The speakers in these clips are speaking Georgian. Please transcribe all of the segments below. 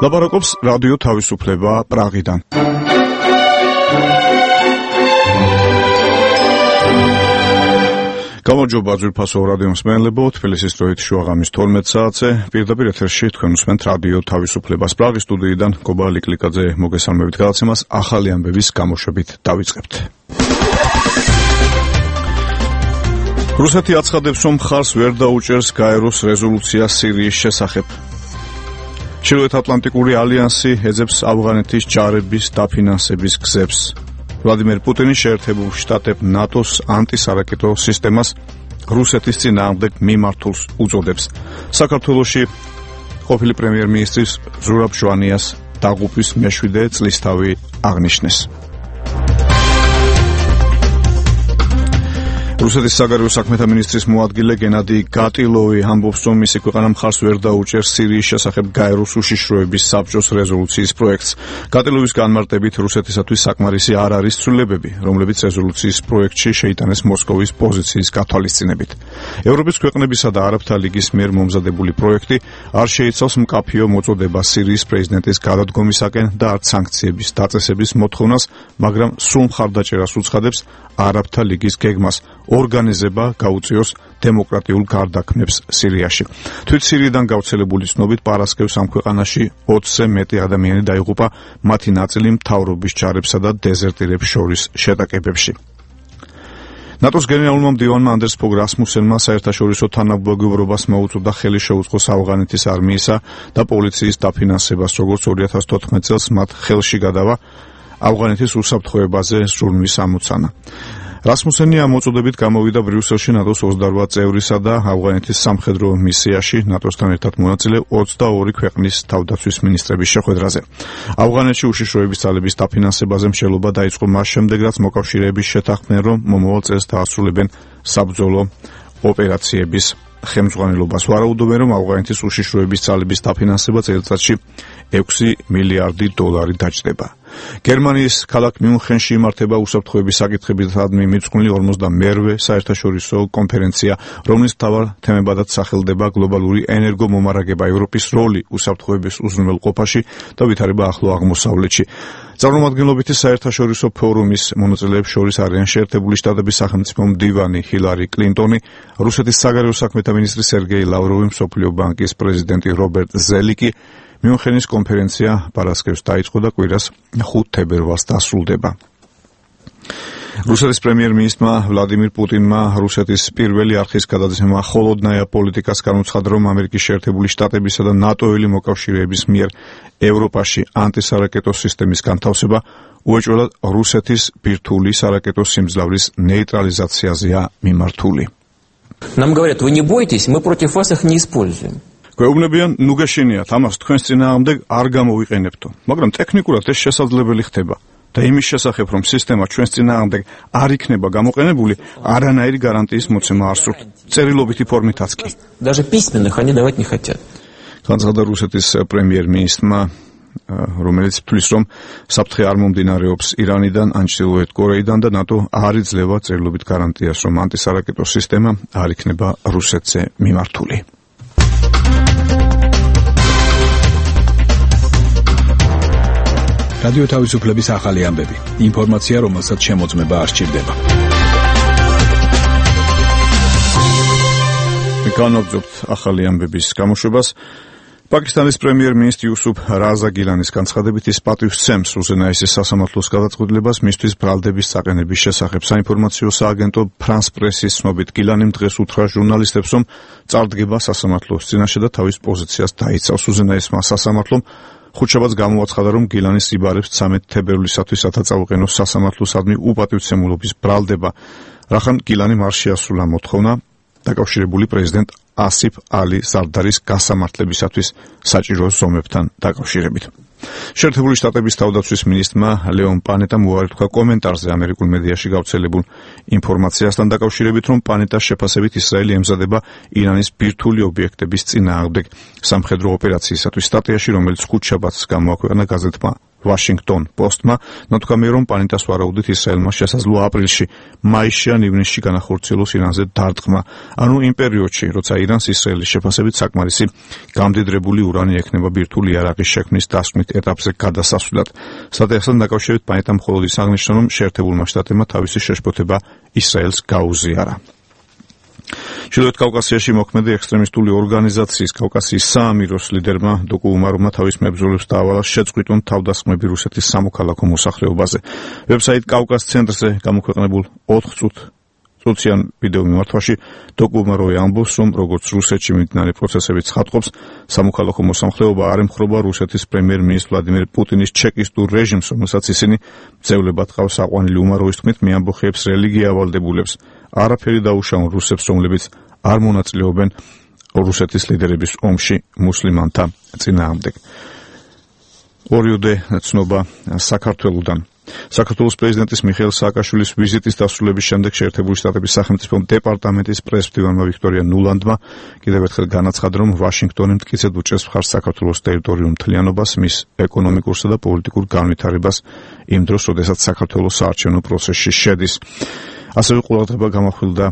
ლაპარაკობს რადიო თავისუფლება პრაღიდან. გამარჯობა ძვირფასო რადიო მსმენელებო, თბილისის დროით შუაღამის 12 საათზე პირდაპირ ეთერში თქვენ უსმენთ რადიო თავისუფლებას პრაღის სტუდიიდან გობა ლიკლიკაძე მოგესალმებით გადაცემას ახალი ამბების გამოშვებით დავიწყებთ. რუსეთი აცხადებს, რომ მხარს ვერ დაუჭერს გაეროს რეზოლუცია სირიის შესახებ. ჩრდილოეთ ატლანტიკური ალიანსი ეძებს ავღანეთის ჯარების დაფინანსების გზებს. ვლადიმერ პუტინი შეერთებულ შტატებ ნატოს ანტისარაკეტო სისტემას რუსეთის წინააღმდეგ მიმართულს უწოდებს. საქართველოში ყოფილი პრემიერ-მინისტრის ზურაბ ჟვანიას დაღუპვის მე-7 წლისთავი აღნიშნეს. რუსეთის საგარეო საქმეთა მინისტრის მოადგილე გენადი გატილოვი ამბობს, რომ მისი ქვეყანა მხარს ვერ დაუჭერს სირიის შესახებ გაეროს უშიშროების საბჭოს რეზოლუციის პროექტს. გატილოვის განმარტებით, რუსეთისათვის საკმარისი არ არის ცვლილებები, რომლებიც რეზოლუციის პროექტში შეიტანეს მოსკოვის პოზიციის გათვალისწინებით. ევროპის ქვეყნებისა და არაბთა ლიგის მიერ მომზადებული პროექტი არ შეიცავს მკაფიო მოწოდებას სირიის პრეზიდენტის გადადგომისაკენ და არც სანქციების დაწესების მოთხოვნას, მაგრამ სრულ მხარდაჭერას უცხადებს არაბთა ლიგის გეგმას ორგანიზება გაუწიოს დემოკრატიულ გარდაქმნებს სირიაში. თვით სირიიდან გავრცელებული ცნობით პარასკევს ამ ქვეყანაში 20-ზე მეტი ადამიანი დაიღუპა, მათი ნაწილი მთავრობის ჯარებსა და დეზერტირებს შორის შეტაკებებში. ნატოს გენერალურმა მდივანმა ანდერს ფოგ რასმუსენმა საერთაშორისო თანამდებობებას მოუწოდა ხელი შეუწყოს ავღანეთის არმიისა და პოლიციის დაფინანსებას, როგორც 2014 წელს მათ ხელში გადავა ავღანეთის უსაფრთხოებაზე ზრუნვის ამოცანა. რასმუსენი ამ მოწოდებით გამოვიდა ბრიუსელში ნატოს 28 წევრისა და ავღანეთის სამხედრო მისიაში ნატოსთან ერთად მონაწილე 22 ქვეყნის თავდაცვის მინისტრების შეხვედრაზე. ავღანეთში უშიშროების ძალების დაფინანსებაზე მსჯელობა დაიწყო მას შემდეგ, რაც მოკავშირეების შეთანხმდნენ, რომ მომავალ წელს დაასრულებენ საბრძოლო ოპერაციების ხელმძღვანელობას. ვარაუდობენ, რომ ავღანეთის უშიშროების ძალების დაფინანსება წელიწადში 6 მილიარდი დოლარი დაჯდება. გერმანიის ქალაქ მიუნხენში იმართება უსაფრთხოების საკითხებისადმი მიძღვნილი 42-ვე საერთაშორისო კონფერენცია, რომლის მთავარ თემებადაც სახელდება გლობალური ენერგომომარაგება, ევროპის როლი უსაფრთხოების უზრუნველყოფაში და ვითარება ახლო აღმოსავლეთში. წარმომადგენლობითი საერთაშორისო ფორუმის მონაწილეებს შორის არიან შეერთებული შტატების სახელმწიფო მდივანი ჰილარი კლინტონი, რუსეთის საგარეო საქმეთა მინისტრი სერგეი ლავროვი, მსოფლიო ბანკის პრეზიდენტი რობერტ ზელიკი. მიუნხენის კონფერენცია პარასკევს დაიწყო და კვირას 5 თებერვალს დასრულდება. რუსეთის პრემიერ-მინისტრმა ვლადიმირ პუტინმა რუსეთის პირველი არხის გადაცემა холодная პოლიტიკას განუცხადა, რომ ამერიკის შეერთებული შტატებისა და ნატოელი მოკავშირეების მიერ ევროპაში ანტისარაკეტო სისტემის განთავსება უეჭველად რუსეთის ბირთვული სარაკეტო სიმძლავრის ნეიტრალიზაციაზეა მიმართული. Нам говорят, вы не бойтесь, мы против вас их не используем. გვეუბნებიან, ნუ გეშინიათ, ამას თქვენს წინააღმდეგ არ გამოვიყენებთო, მაგრამ ტექნიკურად ეს შესაძლებელი ხდება. და იმის შესახებ, რომ სისტემა ჩვენს წინააღმდეგ არ იქნება გამოყენებული, არანაირი გარანტიის მოცემა არ სურთ. წერილობითი ფორმითაც კი. Даже письменных они давать не хотят. განცხადა რუსეთის პრემიერ-მინისტრმა, რომელიც თვლის, რომ საფრთხე არ მომდინარეობს ირანიდან, ან ჩრდილოეთ კორეიდან და ნატო არ იძლევა წერილობით გარანტიას, რომ ანტისარაკეტო სისტემა არ იქნება რუსეთზე მიმართული. რადიო თავისუფლების ახალი ამბები. ინფორმაცია, რომელსაც შემოწმება არ სჭირდება. განაგზობთ ახალი ამბების გამოშვებას. პაკისტანის პრემიერ-მინისტრი იუსუფ რაზა გილანის განცხადებით, ის პატივს სცემს უზენაესის სასამართლოს გადაწყვეტილებას მისთვის ბრალდების წაყენების შესახებ. საინფორმაციო სააგენტო ფრანს პრესის ცნობით, გილანიმ დღეს უთხრა ჟურნალისტებს, რომ წარდგება სასამართლოს წინაშე და თავის პოზიციას დაიცავს. უზენაესმა სასამართლომ ხუთშაბათს გამოაცხადა, რომ გილანის იბარებს 13 თებერვლისათვის ათაწაუყენოს სასამართლოსადმი უპატივცემულობის ბრალდება, რახან გილანიმ არ შეასრულა მოთხოვნა დაკავშირებული პრეზიდენტ ასიფ ალი ზარდარის გასამართლებისათვის საჭირო ზომებთან დაკავშირებით. შეერთებული შტატების თავდაცვის მინისტრმა ლეონ პანეტამ უარი თქვა კომენტარზე ამერიკულ მედიაში გავრცელებულ ინფორმაციასთან დაკავშირებით, რომ პანეტას შეფასებით ისრაელი ემზადება ირანის ბირთვული ობიექტების წინააღმდეგ სამხედრო ოპერაციისათვის. სტატიაში, რომელიც ხუთშაბათს გამოაქვეყნა გაზეთმა Washington Post-მა ნათქვამია, რომ პანიტას ვარაუდით ისრაელმა შესაძლოა აპრილში, მაისში ან ივნისში განახორციელოს ირანზე დარტყმა. ანუ იმ პერიოდში, როცა ირანს ისრაელის შეფასებით საკმარისი გამდიდრებული ურანი ექნება ბირთვული იარაღის შექმნის დასკვნით ეტაპზე გადასასვლელად. სტატიასთან დაკავშირებით პანიტამ მხოლოდ ის აღნიშნა, რომ შეერთებულმა შტატებმა თავისი შეშფოთება ისრაელს გაუზიარა. ჩრდილოეთ კავკასიაში მოქმედი ექსტრემისტული ორგანიზაციის კავკასიის საამიროს ლიდერმა დოკუ უმაროვმა თავის მებრძოლებს დაავალა შეწყვიტონ თავდასხმები რუსეთის სამოქალაქო მოსახლეობაზე. ვებსაიტ კავკას ცენტრზე გამოქვეყნებულ 4 წუთიან ვიდეო მიმართვაში დოკუ უმაროვი ამბობს, რომ როგორც რუსეთში მიმდინარე პროცესები ცხადყოფს, სამოქალაქო მოსახლეობა არ ემხრობა რუსეთის პრემიერ-მინისტრ ვლადიმერ პუტინის ჩეკისტურ რეჟიმს, რომელსაც ისინი ძევლებად ყავს აყვანილი. უმაროვის თქმით, მიამბოხებს რელიგია ავალდებულებს. არაფერი დაუშავონ რუსებს, რომლებიც არ მონაწილეობენ რუსეთის ლიდერების ომში მუსლიმანთა წინააღმდეგ. ორიოდე ცნობა საქართველოდან. საქართველოს პრეზიდენტის მიხეილ სააკაშვილის ვიზიტის დასრულების შემდეგ შეერთებული შტატების სახელმწიფო დეპარტამენტის პრეს-მდივანმა ვიქტორია ნულანდმა კიდევ ერთხელ განაცხადა, რომ ვაშინგტონი მტკიცედ უჭერს მხარს საქართველოს ტერიტორიულ მთლიანობას, მის ეკონომიკურსა და პოლიტიკურ განვითარებას იმ დროს, როდესაც საქართველოს საარჩევნო პროცესში შედის. ასევე ყურადღება გამახვილდა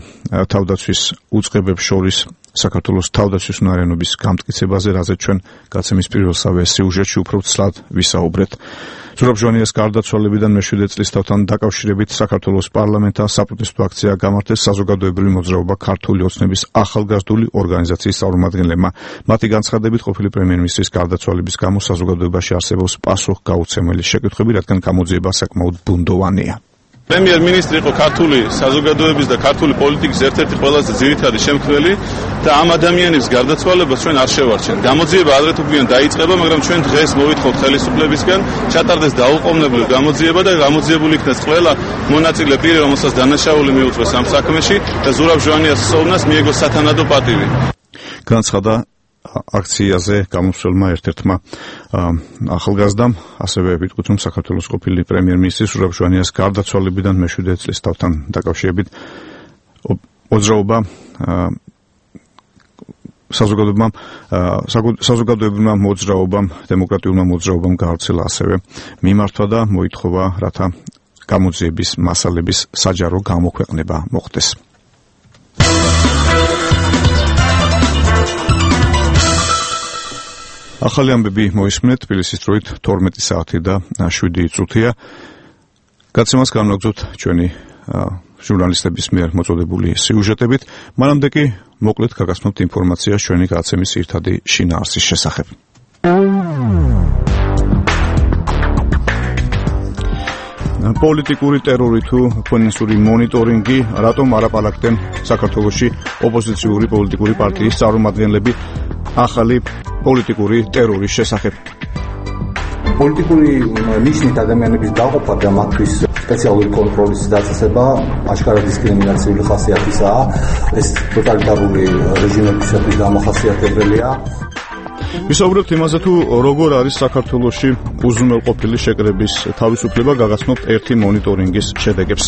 თავდაცვის უწყებებს შორის საქართველოს თავდაცვის უნარიანობის გამტკიცებაზე, რაზეც ჩვენ გაცემის პირველსავე სიუჟეტში უფრო ცლად ვისაუბრეთ. ზურაბ ჟვანიას გარდაცვალებიდან მე-7 წლის თავთან დაკავშირებით საქართველოს პარლამენტთან საპროტესტო აქცია გამართეს საზოგადოებრივი მოძრაობა ქართული ოცნების ახალგაზრდული ორგანიზაციის წარმომადგენლებმა. მათი განცხადებით, ყოფილი პრემიერ-მინისტრის გარდაცვალების გამო საზოგადოებაში არსებობს პასუხგაუცემელი შეკითხვები, რადგან გამოძიება საკმაოდ ბუნდოვანია. პრემიერ-მინისტრი იყო ქართული საზოგადოების და ქართული პოლიტიკის ერთ-ერთი ყველაზე ძირითადი შემქმნელი და ამ ადამიანის გარდაცვალებას ჩვენ არ შევარჩენთ. გამოძიება ადრე თუ გვიან დაიწყება, მაგრამ ჩვენ დღეს მოვითხოვთ ხელისუფლებისგან ჩატარდეს დაუყოვნებლივ გამოძიება და გამოძიებული იქნას ყველა მონაწილე პირი, რომელსაც დანაშაული მიუწვეს ამ საქმეში და ზურაბ ჟვანიას სოუნას მიეგო სათანადო პატივი. განცხადა აქციაზე გამოსვლელმა ერთ-ერთმა ახალგაზრდამ, ასევე ვიტყვით, რომ საქართველოს ყოფილი პრემიერ-მინისტრის ზურაბ ჟვანიას გარდაცვალებიდან მე-7 წლის თავთან დაკავშირებით საზოგადოებრივმა მოძრაობამ, დემოკრატიულმა მოძრაობამ გაავრცელა ასევე მიმართვა და მოითხოვა, რათა გამოძიების მასალების საჯარო გამოქვეყნება მოხდეს. ახალი ამბები მოისმენთ, თბილისის დროით 12 საათი და 7 წუთია. გაცემას განვაგრძობთ ჩვენი ჟურნალისტების მიერ მოწოდებული სიუჟეტებით. მანამდე კი მოკლედ გაგაცნობთ ინფორმაციას ჩვენი გაცემის ერთადი შინაარსის შესახებ. პოლიტიკური ტერორი თუ ფინანსური მონიტორინგი, რატომ არაპალაკდნენ საქართველოში ოპოზიციური პოლიტიკური პარტიის წარმომადგენლები ახალი პოლიტიკური ტერორის შესახებ. პოლიტიკური ნიშნით ადამიანების დაყოფა და მათთვის სპეციალური კონტროლის დაწესება აშკარად დისკრიმინაციული ხასიათისაა. ეს ტოტალიტარული რეჟიმებისათვის დამახასიათებელია. ვისაუბრებთ იმაზე, თუ როგორ არის საქართველოში უზრუნველყოფილი შეკრების თავისუფლება, გაგაცნობთ ერთი მონიტორინგის შედეგებს.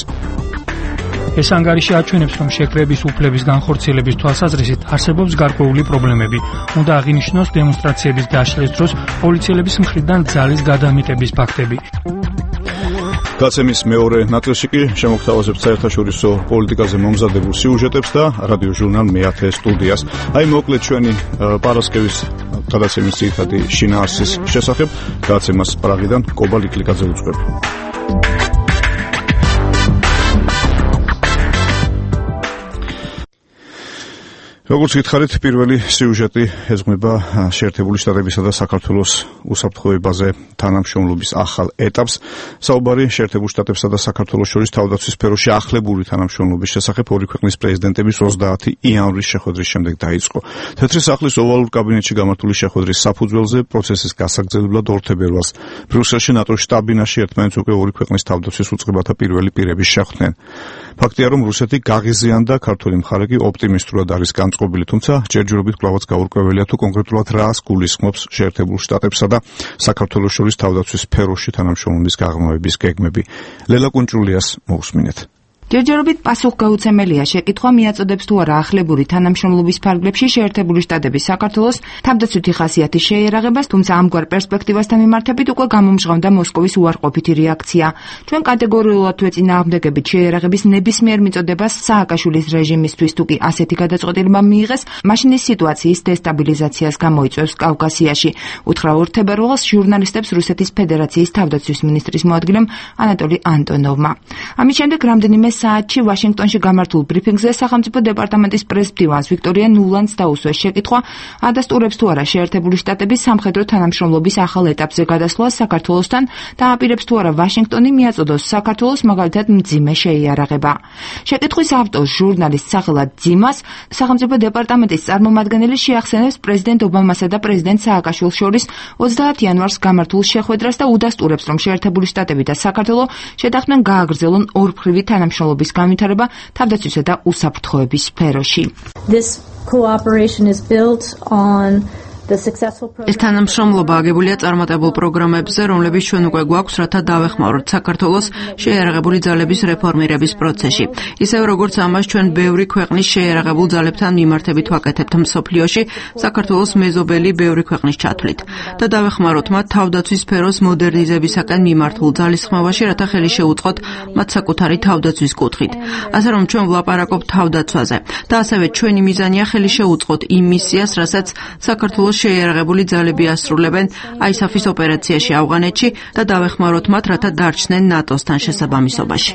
ეს ანგარიში აჩვენებს, რომ შეკრების უფლების განხორციელების თვალსაზრისით არსებობს გარკვეული პრობლემები. უნდა აღინიშნოს დემონსტრაციების დაშლის დროს პოლიციელების მხრიდან ძალის გადამეტების ფაქტები. გაცემის მეორე ნაწილში კი შემოგთავაზებთ საერთაშორისო პოლიტიკაზე მომზადებულ სიუჟეტებს და რადიო ჟურნალ მე-10 სტუდიას. აი მოკლედ ჩვენი პარასკევის გადაცემის ძირითადი შინაარსის შესახებ გაცემას პრაღიდან კობა ლიკლიკაძე უძღვება. როგორც გითხარით, პირველი სიუჟეტი ეზღმება შეერთებული შტატებისა და საქართველოს უსაფრთხოებაზე თანამშრომლობის ახალ ეტაპს. საუბარი შეერთებულ შტატებსა და საქართველოს შორის თავდაცვის სფეროში ახლებული თანამშრომლობის შესახებ ორი ქვეყნის პრეზიდენტების 30 იანვრის შეხვედრის შემდეგ დაიწყო. თეთრი სახლის ოვალურ კაბინეტში გამართული შეხვედრის საფუძველზე პროცესის გასაგრძელებლად 2 თებერვალს ბრიუსელში ნატოს შტაბ-ბინაში ერთმანეთს უკვე ორი ქვეყნის თავდაცვის უწყებათა პირველი პირები შეხვდნენ. ფაქტია, რომ რუსეთი გაღიზიანდა, ქართული მხარე კი ოპტიმისტურად არის განწყობილი, თუმცა ჯერჯერობით კვლავაც გაურკვეველია, თუ კონკრეტულად რას გულისხმობს შეერთებულ შტატებსა და საქართველოს შორის თავდაცვის სფეროში თანამშრომლობის გაღრმავების გეგმები. ლელა კუნჭულიას მოусმინეთ. ჯერჯერობით პასუხგაუცემელია შეკითხვა მიაწოდებს თუ არა ახლებური თანამშრომლობის ფარგლებში შეერთებული შტატების საქართველოს თავდაცვითი ხასიათის შეიარაღებას, თუმცა ამგვარ პერსპექტივასთან მიმართებით უკვე გამომჟღავნდა მოსკოვის უარყოფითი რეაქცია. ჩვენ კატეგორიულად ვეწინააღმდეგებით შეიარაღების ნებისმიერ მიწოდებას სააკაშვილის რეჟიმისთვის, თუ კი ასეთი გადაწყვეტილება მიიღეს, მაშინ ის სიტუაციის დესტაბილიზაციას გამოიწვევს კავკასიაში, უთხრა 2 თებერვალს ჟურნალისტებს რუსეთის ფედერაციის თავდაცვის მინისტრის მოადგილემ ანატოლი ანტონოვმა. ამის შემდეგ რამდენიმე საათში ვაშინგტონში გამართულ ბრიფინგზე სახელმწიფო დეპარტამენტის პრეს-მდივანს ვიქტორია ნულანდს დაუსვეს შეკითხვა, ადასტურებს თუ არა შეერთებული შტატების სამხედრო თანამშრომლობის ახალ ეტაპზე გადასვლას საქართველოსთან და აპირებს თუ არა ვაშინგტონი მიაწოდოს საქართველოს მაგალითად მძიმე შეიარაღება. შეკითხვის ავტორს ჟურნალისტ სახელად ძიმას სახელმწიფო დეპარტამენტის წარმომადგენელი შეახსენებს პრეზიდენტ ობამასა და პრეზიდენტ სააკაშვილს შორის 30 იანვარს გამართულ შეხვედრას და udasturებს, რომ შეერთებული შტატები და საქართველო შეთანხმდნენ გააგრძელონ ორმხრივი თანამშრომლობის განვითარება თავდაცვისა და უსაფრთხოების სფეროში. ეს თანამშრომლობა აგებულია წარმატებულ პროგრამებზე, რომლებიც ჩვენ უკვე გვაქვს, რათა დავეხმაროთ საქართველოს შეიარაღებული ძალების რეფორმირების პროცესში. ისევ როგორც ამას ჩვენ ბევრი ქვეყნის შეიარაღებულ ძალებთან მიმართებით ვაკეთებთ მსოფლიოში, საქართველოს მეზობელი ბევრი ქვეყნის ჩათვლით და დავეხმაროთ მათ თავდაცვის სფეროს მოდერნიზებისაკენ მიმართულ ძალისხმევაში, რათა ხელი შეუწყოთ მათ საკუთარი თავდაცვის კუთხით. ასე რომ ჩვენ ვლაპარაკობთ თავდაცვაზე და ასევე ჩვენი მიზანია ხელი შეუწყოთ იმ მისიას, რასაც საქართველოს შეიარაღებული ძალები ასრულებენ ISAF-ის ოპერაციაში ავღანეთში და დავეხმაროთ მათ, რათა დარჩნენ ნატოსთან შესაბამისობაში.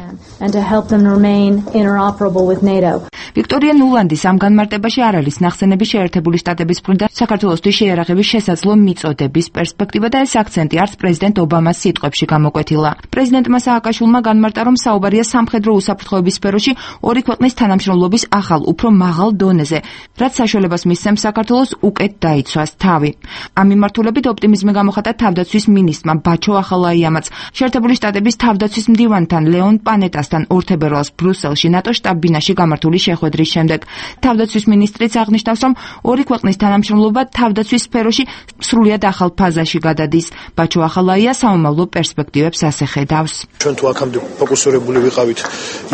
ვიქტორია ნულანდის ამ განმარტებაში არ არის ნახსენები შეერთებული შტატების მხრიდან საქართველოსთვის შეიარაღების შესაძლო მიწოდების პერსპექტივა და ეს აქცენტი არც პრეზიდენტ ობამას სიტყვებში გამოკვეთილა. პრეზიდენტმა სააკაშვილმა განმარტა, რომ საუბარია სამხედრო უსაფრთხოების სფეროში ორი ქვეყნის თანამშრომლობის ახალ, უფრო მაღალ დონეზე, რაც საშუალებას მისცემს საქართველოს უკეთ დაიცვას თავი. ამ მიმართულებით ოპტიმიზმი გამოხატა თავდაცვის მინისტრმა ბაჩო ახალაიამაც შეერთებული შტატების თავდაცვის მდივანთან ლეონ პანეტასთან 2 თებერვალს ბრუსელში ნატოს შტაბ-ბინაში გამართული შეხვედრის შემდეგ. თავდაცვის მინისტრიც აღნიშნავს, რომ ორი ქვეყნის თანამშრომლობა თავდაცვის სფეროში სრულიად ახალ ფაზაში გადადის. ბაჩო ახალაია საომავლო პერსპექტივებს ასე ხედავს. ჩვენ თუ აქამდე ფოკუსირებული ვიყავით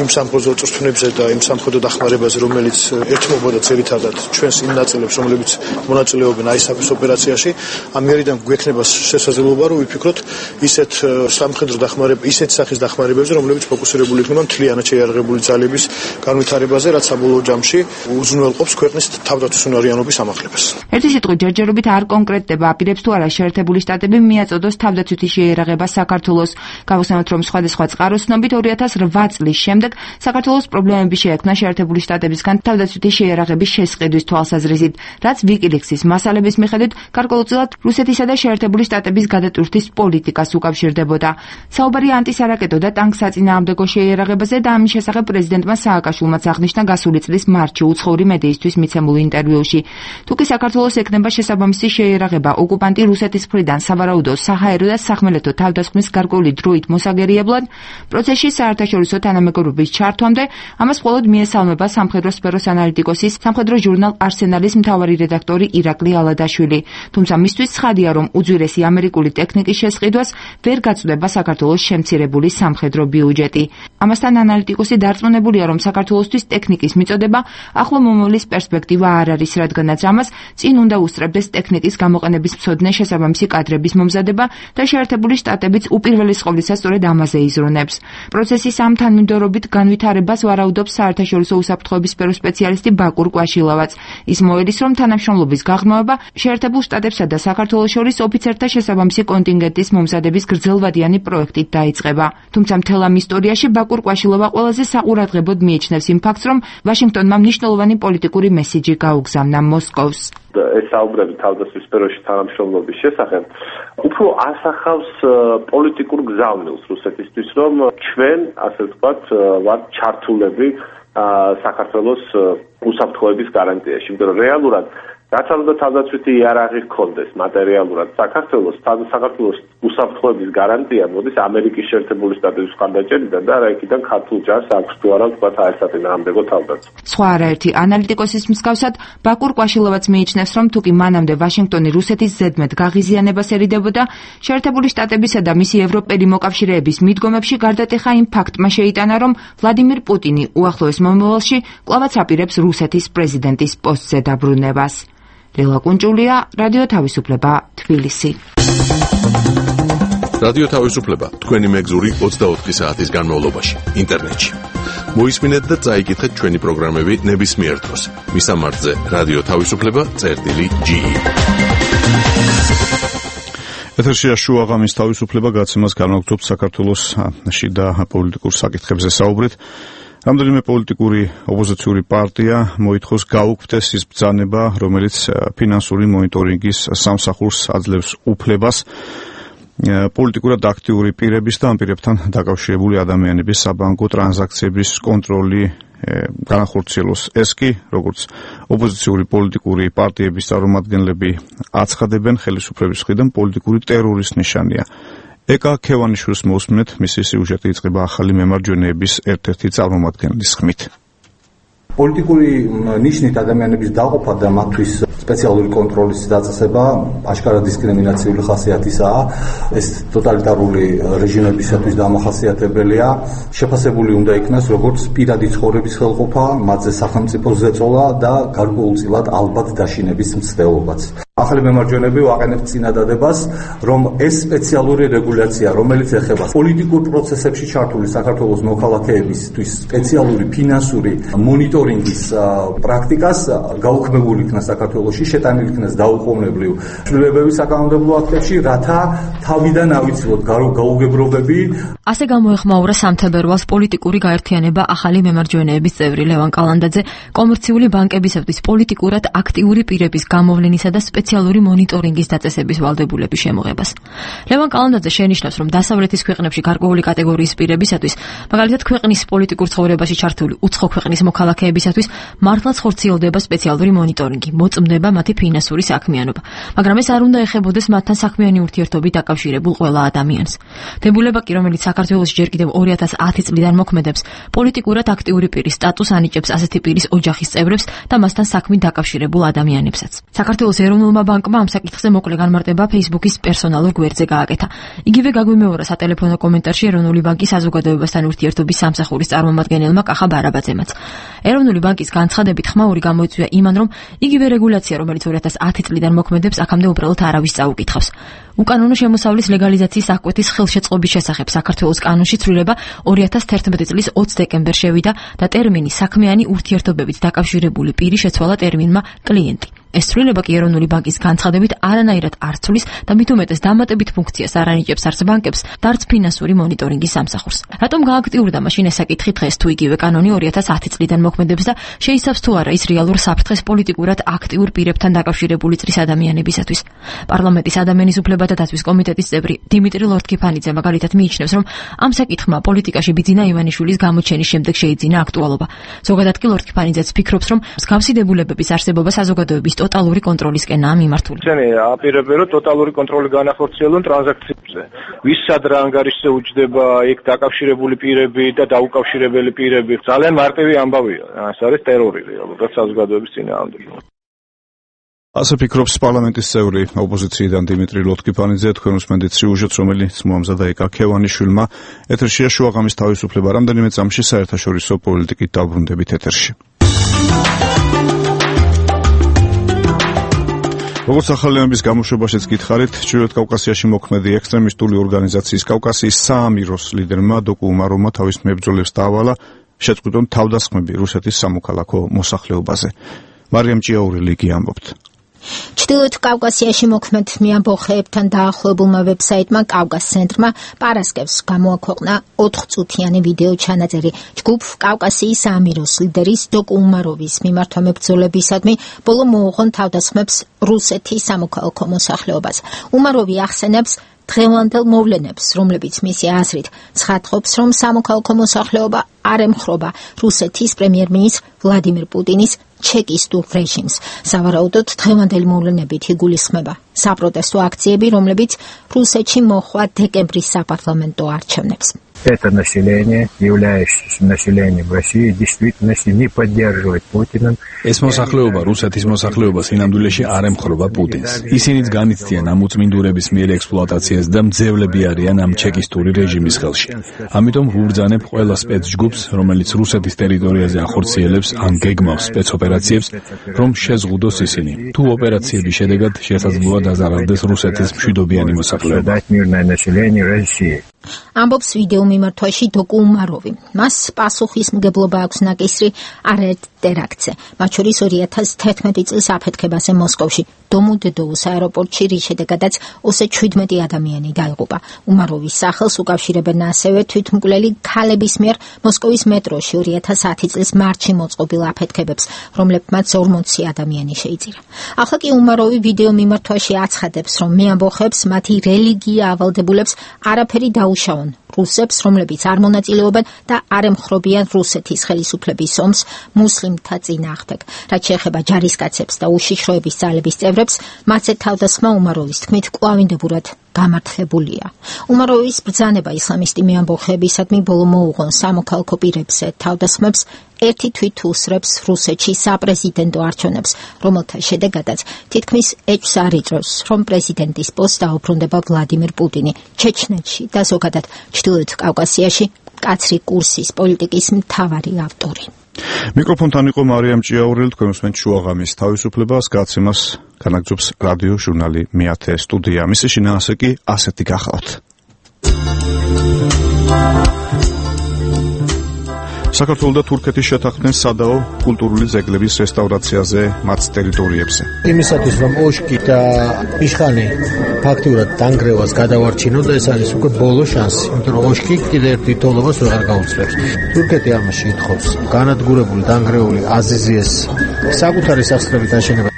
იმ სამხედრო წვრთნებზე და იმ სამხედრო დახმარებაზე, რომელიც ერთმობოდა ძირითადად ჩვენს იმ ნაწილებს, რომლებიც მონაწილეობენ ISAF-ის ოპერაციაში, ამერიდან გვექნება შესაძლებლობა, რომ ვიფიქროთ ისეთ სამხედრო დახმარება, ისეთ სახის დახმარებებზე, რომლებიც ფოკუსირებული იქნება მთლიანად შეიარაღებული ძალების განვითარებაზე, რაც საბოლოო ჯამში უზრუნველყოფს ქვეყნის თავდაცვის უნარიანობის ამაღლებას. ერთი სიტყვით ჯერჯერობით არ კონკრეტდება, აპირებს თუ არა შეერთებული შტატები მიაწოდოს თავდაცვითი შეიარაღება საქართველოს. გავხსენოთ, რომ სხვადასხვა წყაროსნობით 2008 წლის შემდეგ საქართველოს პრობლემები შეექმნა შეერთებული შტატებისგან თავდაცვითი შეიარაღების შესყიდვის თვალსაზრისით, რაც WikiLeaks-ის მასალების მიხედვით გარკვეულწილად რუსეთისა და შეერთებული შტატების გადატვირთვის პოლიტიკას უკავშირდებოდა. საუბარი ანტისარაკეტო და ტანკსაწინააღმდეგო შეიარაღებაზე და ამის შესახებ პრეზიდენტმა სააკაშვილმაც აღნიშნა გასული წლის მარტში უცხოური მედიისთვის მიცემულ ინტერვიუში. თუკი საქართველოს ექნება შესაბამისი შეიარაღება ოკუპანტი რუსეთის მხრიდან სავარაუდო საჰაერო და სახმელეთო თავდასხმის გარკვეული დროით მოსაგერიებლად, პროცესში საერთაშორისო თანამეგობრობის ჩართვამდე ამას მხოლოდ მიესალმება სამხედრო სფეროს ანალიტიკოსის სამხედრო ჟურნალ არსენალის მთავარი რედაქტორი ირაკლი ალადაშვილი. თუმცა მისთვის ცხადია, რომ უძვირესი ამერიკული ტექნიკის შესყიდვას ვერ გაწვდება საქართველოს შემცირებული სამხედრო ბიუჯეტი. ამასთან ანალიტიკოსი დარწმუნებულია, რომ საქართველოსთვის ტექნიკის მიწოდება ახლო მომავლის პერსპექტივა არ არის, რადგანაც ამას წინ უნდა უსწრებდეს ტექნიკის გამოყენების მცოდნე შესაბამისი კადრების მომზადება და შეერთებული შტატებიც უპირველეს ყოვლისა სწორედ ამაზე იზრუნებს. პროცესის ამ თანმიმდევრობით განვითარებას ვარაუდობს საერთაშორისო უსაფრთხოების სფეროს სპეციალისტი ბაკურ კვაშილავაც. ის მოედის, რომ თანამშრომლობის გაღრმავება შეერთებულ შტატებსა და საქართველოს შორის ოფიცერთა შესაბამისი კონტინგენტის მომზადების გრძელვადიანი პროექტით დაიწყება. თუმცა მთელ ამ ისტორიაში ბაკურ კვაშილოვა ყველაზე საყურადღებოდ მიიჩნევს იმ ფაქტს, რომ ვაშინგტონმა მნიშვნელოვანი პოლიტიკური მესიჯი გაუგზავნა მოსკოვს. ეს საუბრები თავდაცვის სფეროში თანამშრომლობის შესახებ უფრო ასახავს პოლიტიკურ გზავნილს რუსეთისთვის, რომ ჩვენ, ასე ვთქვათ, ვართ ჩართულები საქართველოს უსაფრთხოების გარანტიაში. იმიტომ რომ რეალურად რაც უნდა თავდაცვითი იარაღი ჰქონდეს მატერიალურად საქართველოს უსაფრთხოების გარანტია მოდის ამერიკის შეერთებული შტატების მხარდაჭერიდან და რა იქიდან ქართულ ჯარს აქვს თუ არა ვთქვათ საერთაშორისო თავდაცვა. სხვა არაერთი ანალიტიკოსის მსგავსად ბაკურ კვაშილოვაც მიიჩნევს, რომ თუკი მანამდე ვაშინგტონი რუსეთის ზედმეტ გაღიზიანებას ერიდებოდა, შეერთებული შტატებისა და მისი ევროპელი მოკავშირეების მიდგომებში გარდატეხა იმ ფაქტმა შეიტანა, რომ ვლადიმირ პუტინი უახლოეს მომავალში კვლავაც აპირებს რუსეთის პრეზიდენტის პოსტზე დაბრუნებას. ლელა კუნჭულია, რადიო თავისუფლება, თბილისი. რადიო თავისუფლება, თქვენი მეგზური 24 საათის განმავლობაში, ინტერნეტში. მოისმინეთ და წაიკითხეთ ჩვენი პროგრამები ნებისმიერ დროს. მისამართზე რადიო თავისუფლება.ge. ეთერშია შუა ღამის თავისუფლება გაცემას განვაგრძობთ საქართველოს შიდა პოლიტიკურ საკითხებზე საუბრით. რამდენიმე პოლიტიკური ოპოზიციური პარტია მოითხოვს გაუქმდეს ის ბრძანება, რომელიც ფინანსური მონიტორინგის სამსახურს აძლევს უფლებას პოლიტიკურად აქტიური პირების და ამ პირებთან დაკავშირებული ადამიანების საბანკო ტრანზაქციების კონტროლი განახორციელოს. ეს კი, როგორც ოპოზიციური პოლიტიკური პარტიების წარმომადგენლები აცხადებენ, ხელისუფლების მხრიდან პოლიტიკური ტერორის ნიშანია. ეკა ქევანიშვილს მოусმინეთ, მისი სიუჟეტი იწყება ახალი მემარჯვენეების ერთ-ერთი წარმომადგენლის ხმით. პოლიტიკური ნიშნით ადამიანების დაყოფა და მათთვის სპეციალური კონტროლის დაწესება აშკარად დისკრიმინაციული ხასიათისაა. ეს ტოტალიტარული რეჟიმებისათვის დამახასიათებელია. შეფასებული უნდა იქნას როგორც პირადი ცხოვრების ხელყოფა, მათზე სახელმწიფოს ზეწოლა და გარკვეულწილად ალბათ დაშინების მცდელობაც. ახალი მემარჯვენეები ვაყენებთ წინადადებას, რომ ეს სპეციალური რეგულაცია, რომელიც ეხება პოლიტიკურ პროცესებში ჩართული საქართველოს მოქალაქეებისთვის სპეციალური ფინანსური მონიტორინგის პრაქტიკას გაუქმებული იქნას საქართველოში, შეტანილი იქნას დაუყოვნებლივ ცვლილებები საკანონმდებლო აქტებში, რათა თავიდან ავიცილოთ გაუგებრობები. ასე გამოეხმაურა სამთებერვალს პოლიტიკური გაერთიანება ახალი მემარჯვენეების წევრი ლევან კალანდაძე კომერციული ბანკებისათვის პოლიტიკურად აქტიური პირების გამოვლენისა და სპეციალური მონიტორინგის დაწესების ვალდებულების შემოღებას. ლევან კალანდაძე შენიშნავს, რომ დასავლეთის ქვეყნებში გარკვეული კატეგორიის პირებისათვის, მაგალითად ქვეყნის პოლიტიკურ ცხოვრებაში ჩართული უცხო ქვეყნის მოქალაქეებისათვის, მართლაც ხორციელდება სპეციალური მონიტორინგი, მოწმდება მათი ფინანსური საქმიანობა, მაგრამ ეს არ უნდა ეხებოდეს მათთან საქმიანი ურთიერთობით დაკავშირებულ ყველა ადამიანს. დებულება კი, რომელიც საქართველოში ჯერ კიდევ 2010 წლიდან მოქმედებს, პოლიტიკურად აქტიური პირის სტატუსს ანიჭებს ასეთი პირის ოჯახის წევრებს და მასთან საქმით დაკავშირებულ ადამიანებსაც. საქართველოს ეროვნულმა ბანკმა ამ საკითხზე მოკლე განმარტება Facebook-ის პერსონალურ გვერდზე გააკეთა. იგივე გაგვიმეორა სატელეფონო კომენტარში ეროვნული ბანკის საზოგადოებასთან ურთიერთობის სამსახურის წარმომადგენელმა კახა ბარაბაძემაც. ეროვნული ბანკის განცხადებით ხმაური გამოიწვია იმან, რომ იგივე რეგულაცია, რომელიც 2010 წლიდან მოქმედებს, აქამდე უბრალოდ არავის წაუკითხავს. უკანონო შემოსავლის ლეგალიზაციის აღკვეთის ხელშეწყობის შესახებ საქართველოს კანონში ცვლილება 2011 წლის 20 დეკემბერს შევიდა და ტერმინი საქმიანი ურთიერთობებით დაკავშირებული პირი შეცვალა ტერმინმა კლიენტი. ეს ცვლილება კი ეროვნული ბანკის განცხადებით არანაირად არ ცვლის და მით უმეტეს დამატებით ფუნქციას არ ანიჭებს არც ბანკებს და არც ფინანსური მონიტორინგის სამსახურს. რატომ გააქტიურდა მაშინ ეს საკითხი დღეს, თუ იგივე კანონი 2010 წლიდან მოქმედებს და შეიცავს თუ არა ის რეალურ საფრთხეს პოლიტიკურად აქტიურ პირებთან დაკავშირებული წრის ადამიანებისათვის? პარლამენტის ადამიანის უფლებათა დაცვის კომიტეტის წევრი დიმიტრი ლორთქიფანიძე მაგალითად მიიჩნევს, რომ ამ საკითხმა პოლიტიკაში ბიძინა ივანიშვილის გამოჩენის შემდეგ შეიძინა აქტუალობა. ზოგადად კი ლორთქიფანიძეც ფიქრობს, რომ მსგავსი დებულებების არსებობა საზოგადოების ტოტალური კონტროლისკენაა მიმართული. ისინი აპირებენ, რომ ტოტალური კონტროლი განახორციელონ ტრანზაქციებზე. ვის სად რა ანგარიშზე უჯდება, იქ დაკავშირებული პირები და დაუკავშირებელი პირები. ძალიან მარტივი ამბავია. ეს არის ტერორი რეალურად საზოგადოების წინააღმდეგ. ასე ფიქრობს პარლამენტის წევრი ოპოზიციიდან დიმიტრი ლორთქიფანიძე. თქვენ უსმენთ სიუჟეტს, რომელიც მოამზადა ეკა ქევანიშვილმა. ეთერშია შუაღამის თავისუფლება. რამდენიმე წამში საერთაშორისო პოლიტიკით დაბრუნდებით ეთერში. როგორც ახალიანების გამოშვებაშიც გითხარით, ჩრდილოეთ კავკასიაში მოქმედი ექსტრემისტული ორგანიზაციის კავკასიის საამიროს ლიდერმა დოკუ უმაროვმა თავის მებრძოლებს დაავალა შეწყვიტონ თავდასხმები რუსეთის სამოქალაქო მოსახლეობაზე. მარიამ ჭიაურელი კი ამბობთ. ჩრდილოეთ კავკასიაში მოქმედ მეამბოხეებთან დაახლოებულმა ვებსაიტმა კავკას ცენტრმა პარასკევს გამოაქვეყნა 4 წუთიანი ვიდეო ჩანაწერი ჯგუფ კავკასიის საამიროს ლიდერის დოკუ უმაროვის მიმართვა მებრძოლებისადმი ბოლო მოუღონ თავდასხმებს რუსეთის სამოქალაქო მოსახლეობას. უმაროვი ახსენებს, დღევანდელ მოვლენებს, რომლებიც მისი აზრით ცხადყოფს, რომ სამოქალაქო მოსახლეობა არ ემხრობა რუსეთის პრემიერ-მინისტრ ვლადიმირ პუტინის ჩეკისტურ რეჟიმს. სავარაუდოდ დღევანდელი მოვლენებით იგულისხმება საპროტესტო акციები, რომლებიც რუსეთში მოხდა დეკემბრის საპარლამენტო არჩევნებს. Это население, являющееся населением России, в действительности не поддерживает Путина. ეს მოსახლეობა რუსეთის მოსახლეობას ინამდვილეში არ ემხრობა პუტინს. ისინიც განიცდიან ამ უწმინდურების მიერ ექსპლუატაციას და მძევლები არიან ამ ჩეკისტური რეჟიმის ხელში. ამიტომ ვუბრძანებ ყველა სპეცჯგუფს, რომელიც რუსეთის ტერიტორიაზე ახორციელებს ან გეგმავს სპეცოპერაციებს, რომ შეზღუდოს ისინი. თუ ოპერაციების შედეგად შესაძლოა დაზარალდეს რუსეთის მშვიდობიანი მოსახლეობა. ამბობს ვიდეო მიმართვაში დოკუ უმაროვი. მას პასუხისმგებლობა აქვს ნაკისრი არაერთ ტერაქტზე, მათ შორის 2011 წლის აფეთქებაზე მოსკოვში, დომოდედოუს აეროპორტში, რის შედეგადაც 27 ადამიანი დაიღუპა. უმაროვის სახელს უკავშირებენ ასევე თვითმკვლელი ქალების მიერ მოსკოვის მეტროში 2010 წლის მარტში მოწყობილ აფეთქებებს, რომლებმაც 40 ადამიანი შეიწირა. ახლა კი უმაროვი ვიდეო მიმართვაში აცხადებს, რომ მე ამბოხებს მათი რელიგია ავალდებულებს არაფერი დაუშავონ რუსებს, რომლებიც არ მონაწილეობენ და არ ემხრობიან რუსეთის ხელისუფლების ომს მუსლიმთა წინააღმდეგ. რაც შეეხება ჯარისკაცებს და უშიშროების ძალების წევრებს, მათზე თავდასხმა უმაროვის თქმით კვლავინდებურად გამართლებულია. უმაროვის ბრძანება ისლამისტი მეამბოხეებისადმი ბოლო მოუღონ სამოქალაქო პირებზე თავდასხმებს ერთი თვით უსრებს რუსეთში საპრეზიდენტო არჩევნებს, რომელთა შედეგადაც თითქმის ეჭვს არ იწვევს, რომ პრეზიდენტის პოსტს დაუბრუნდება ვლადიმირ პუტინი. ჩეჩნეთში და ზოგადად ჩრდილოეთ კავკასიაში კაცრი კურსის პოლიტიკის მთავარი ავტორი. მიკროფონთან იყო მარიამ ჭიაურელი, თქვენ უსმენთ შუაღამის თავისუფლებას, გაცემას განაგრძობს რადიო ჟურნალი მეათე სტუდია. მისი შინაარსი კი ასეთი გახლავთ. საქართველოს და თურქეთის შეთანხმდნენ სადაო კულტურული ძეგლების რესტავრაციაზე მათ ტერიტორიებზე. იმისათვის რომ ოშკი და იშხანი ფაქტურად დანგრევას გადავარჩინოთ, ეს არის უკვე ბოლო შანსი, იმიტომ რომ ოშკი კიდევ ერთ თითოეულობას ვეღარ გაუძლებს. თურქეთი ამაში ითხოვს განადგურებული დანგრეული აზიზიეს საკუთარი სახსრებით აშენება.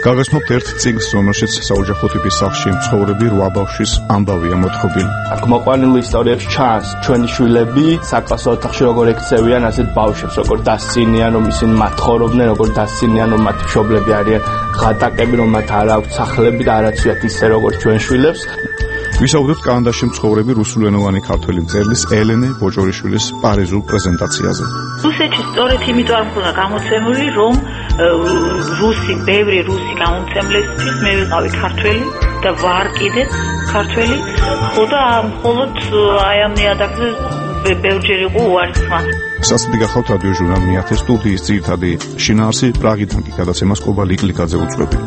გაგაცნობთ ერთ წიგნს, რომელშიც საოჯახო ტიპის სახლში მცხოვრები 8 ბავშვის ამბავია მოთხრობილი. აქ მოყვანილ ისტორიებში ჩანს ჩვენი შვილები საკლასო ოთახში როგორ ექცევიან ასეთ ბავშვებს, როგორ დასცინიან, რომ ისინი მათ ხოვრობდნენ, როგორ დასცინიან, რომ მათი მშობლები არიან ღატაკები, რომ მათ არ აქვთ სახლები და არაცვიათ ისე როგორც ჩვენ შვილებს. ვისაუბრებთ კანადაში მცხოვრები რუსულენოვანი ქართველი მწერლის ელენე ბოჭორიშვილის პარიზულ პრეზენტაციაზე. რუსეთში სწორედ იმიტომ არ მქონდა გამოცემული, რომ ბევრი რუსი გამომცემლისთვის მე ვიყავი ქართველი და ვარ კიდეც ქართველი, ხოდა მხოლოდ აი ამ ნიადაგზე ბევრჯერ იყო უარისხმა. სასწრაფო გახლავთ რადიო ჟურნალ მეათე სტუდიის ძირითადი შინაარსი პრაღიდან კი გადაცემას კობა ლიკლიკაძე უწვევი.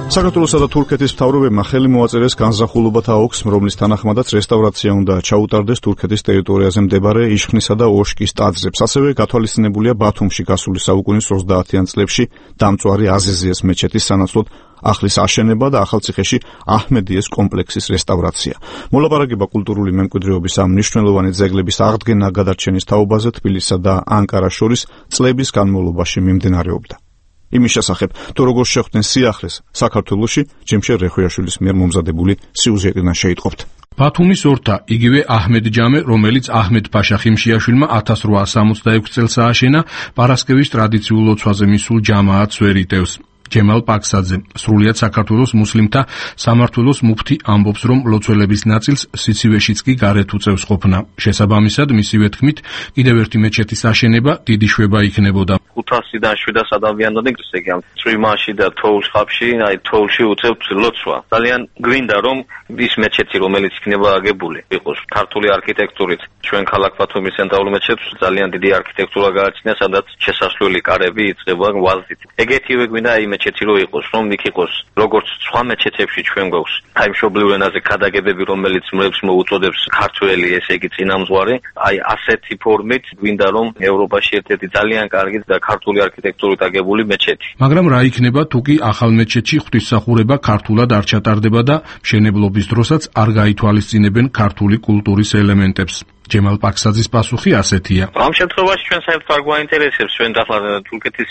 საქართველოსა და თურქეთის მთავრობებმა ხელი მოაწერეს განზრახულობათა ოლქს, რომლის თანახმადაც რესტავრაცია უნდა ჩაუტარდეს თურქეთის ტერიტორიაზე მდებარე იშხნისა და ოშკის ტაძრებს. ასევე გათვალისწინებულია ბათუმში გასული საუკუნის 30-იან წლებში დამწვარი აზიზიეს მეჩეთის სანაცვლოდ ახლის აშენება და ახალციხეში აჰმედიეს კომპლექსის რესტავრაცია. მოლაპარაკება კულტურული მემკვიდრეობის ამ მნიშვნელოვანი ძეგლების აღდგენა გადარჩენის თაობაზე თბილისსა და ანკარას შორის წლების განმავლობაში მიმდინარეობდა. იმის შესახებ, თუ როგორ შეხვდნენ სიახლეს საქართველოში, ჯემშერ რეხვიაშვილის მიერ მომზადებული სიუჟეტიდან შეიტყობთ. ბათუმის ორთა, იგივე აჰმედ ჯამე, რომელიც აჰმედ ფაშა ხიმშიაშვილმა 1866 წელს ააშენა, პარასკევის ტრადიციულ ლოცვაზე მისულ ჯამაათს ვერ იტევს. ჯემალ პაქსაძე, სრულიად საქართველოს მუსლიმთა სამმართველოს მუფთი ამბობს, რომ ლოცველების ნაწილს სიცივეშიც კი გარეთ უწევს ყოფნა. შესაბამისად, მისივე თქმით, კიდევ ერთი მეჩეთის აშენება დიდი შვება იქნებოდა. 500-დან 700 ადამიანამდე ისე ამ წვიმაში და თოვლშხაპში, აი თოვლში უწევთ ლოცვა. ძალიან გვინდა რომ ის მეჩეთი, რომელიც იქნება აგებული, იყოს ქართული არქიტექტურით. ჩვენ ქალაქ ბათუმის ცენტრალურ მეჩეთს ძალიან დიდი არქიტექტურა გააჩნია, სადაც შესასვლელი კარები იწყება ვაზით. ეგეთივე გვინდა აი მეჩეთი რო იყოს, რომ იქ იყოს როგორც სხვა მეჩეთებში ჩვენ გვაქვს აი მშობლიურ ენაზე ქადაგებები, რომელიც მრევლს მოუწოდებს ქართველი, ესე იგი წინამძღვარი, აი ასეთი ფორმით გვინდა რომ ევროპაში ერთ-ერთი ძალიან კარგი და ქართული არქიტექტურით აგებული მეჩეთი. მაგრამ რა იქნება თუ კი ახალ მეჩეთში ღვთისმსახურება ქართულად არ ჩატარდება და მშენებლობის დროსაც არ გაითვალისწინებენ ქართული კულტურის ელემენტებს? ჯემალ პაქსაძის პასუხი ასეთია. ამ შემთხვევაში ჩვენ საერთოდ არ გვაინტერესებს ჩვენ ახლა თურქეთის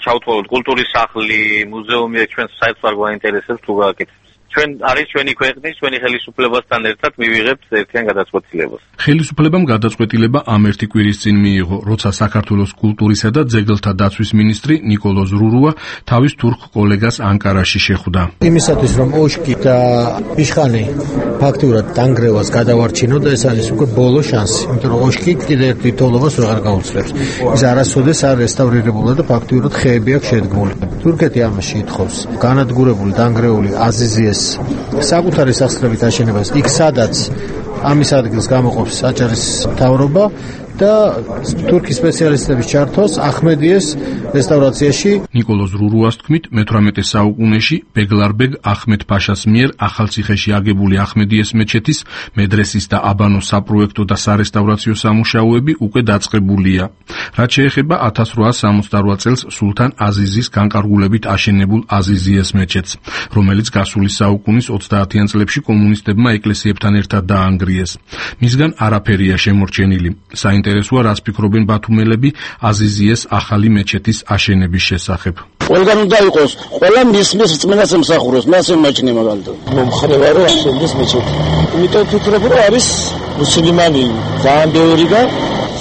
ჩავთვალოთ კულტურის სახლი, მუზეუმი, ჩვენ საერთოდ არ გვაინტერესებს თუ გააკეთებს. ჩვენ არის ჩვენი ქვეყნის, ჩვენი ხელისუფლებასთან ერთად მივიღებთ ერთიან გადაწყვეტილებას. ხელისუფლებამ გადაწყვეტილება ამ ერთი კვირის წინ მიიღო, როცა საქართველოს კულტურისა და ძეგლთა დაცვის მინისტრი ნიკოლო ზრურუა თავის თურქ კოლეგას ანკარაში შეხვდა. იმისათვის რომ ოშკი და იშხანი ფაქტურად დანგრევას გადავარჩინო და ეს არის უკვე ბოლო შანსი, იმიტომ რომ ოშკი კიდევ ერთ თითოეულობას ვეღარ გაუძლებს. ის არასოდეს არ რესტავრირებულა და ფაქტურად ხეები აქვს შედგმული. თურქეთი ამაში ითხოვს განადგურებული დანგრეული აზიზიეს საკუთარი სახსრებით აშენებას იქ სადაც ამის ადგილს გამოყოფს აჭარის მთავრობა და თურქის სპეციალისტების ჩართვას ახმედიეს რესტავრაციაში. ნიკოლო ზრურუას თქმით, მე-18 საუკუნეში ბეგლარბეგ ახმედ ფაშას მიერ ახალციხეში აგებული ახმედიეს მეჩეთის მედრესის და აბანოს საპროექტო და სარესტავრაციო სამუშაოები უკვე დაწყებულია. რაც შეეხება 1868 წელს სულთან აზიზის განკარგულებით აშენებულ აზიზიეს მეჩეთს, რომელიც გასული საუკუნის 30-იან წლებში კომუნისტებმა ეკლესიებთან ერთად დაანგრიეს. მისგან არაფერია შემორჩენილი. საინტერესოა, რას ფიქრობენ ბათუმელები აზიზიეს ახალი მეჩეთის აშენების შესახებ. ყველგან უნდა იყოს, ყველა მის რწმენას ემსახუროს, მე ასე ვიმაჩნია მაგალითად. მომხრევა რომ აშენდეს მეჩეთი. იმიტომ ვფიქრობ, რომ არის მუსლიმანი ძალიან ბევრი და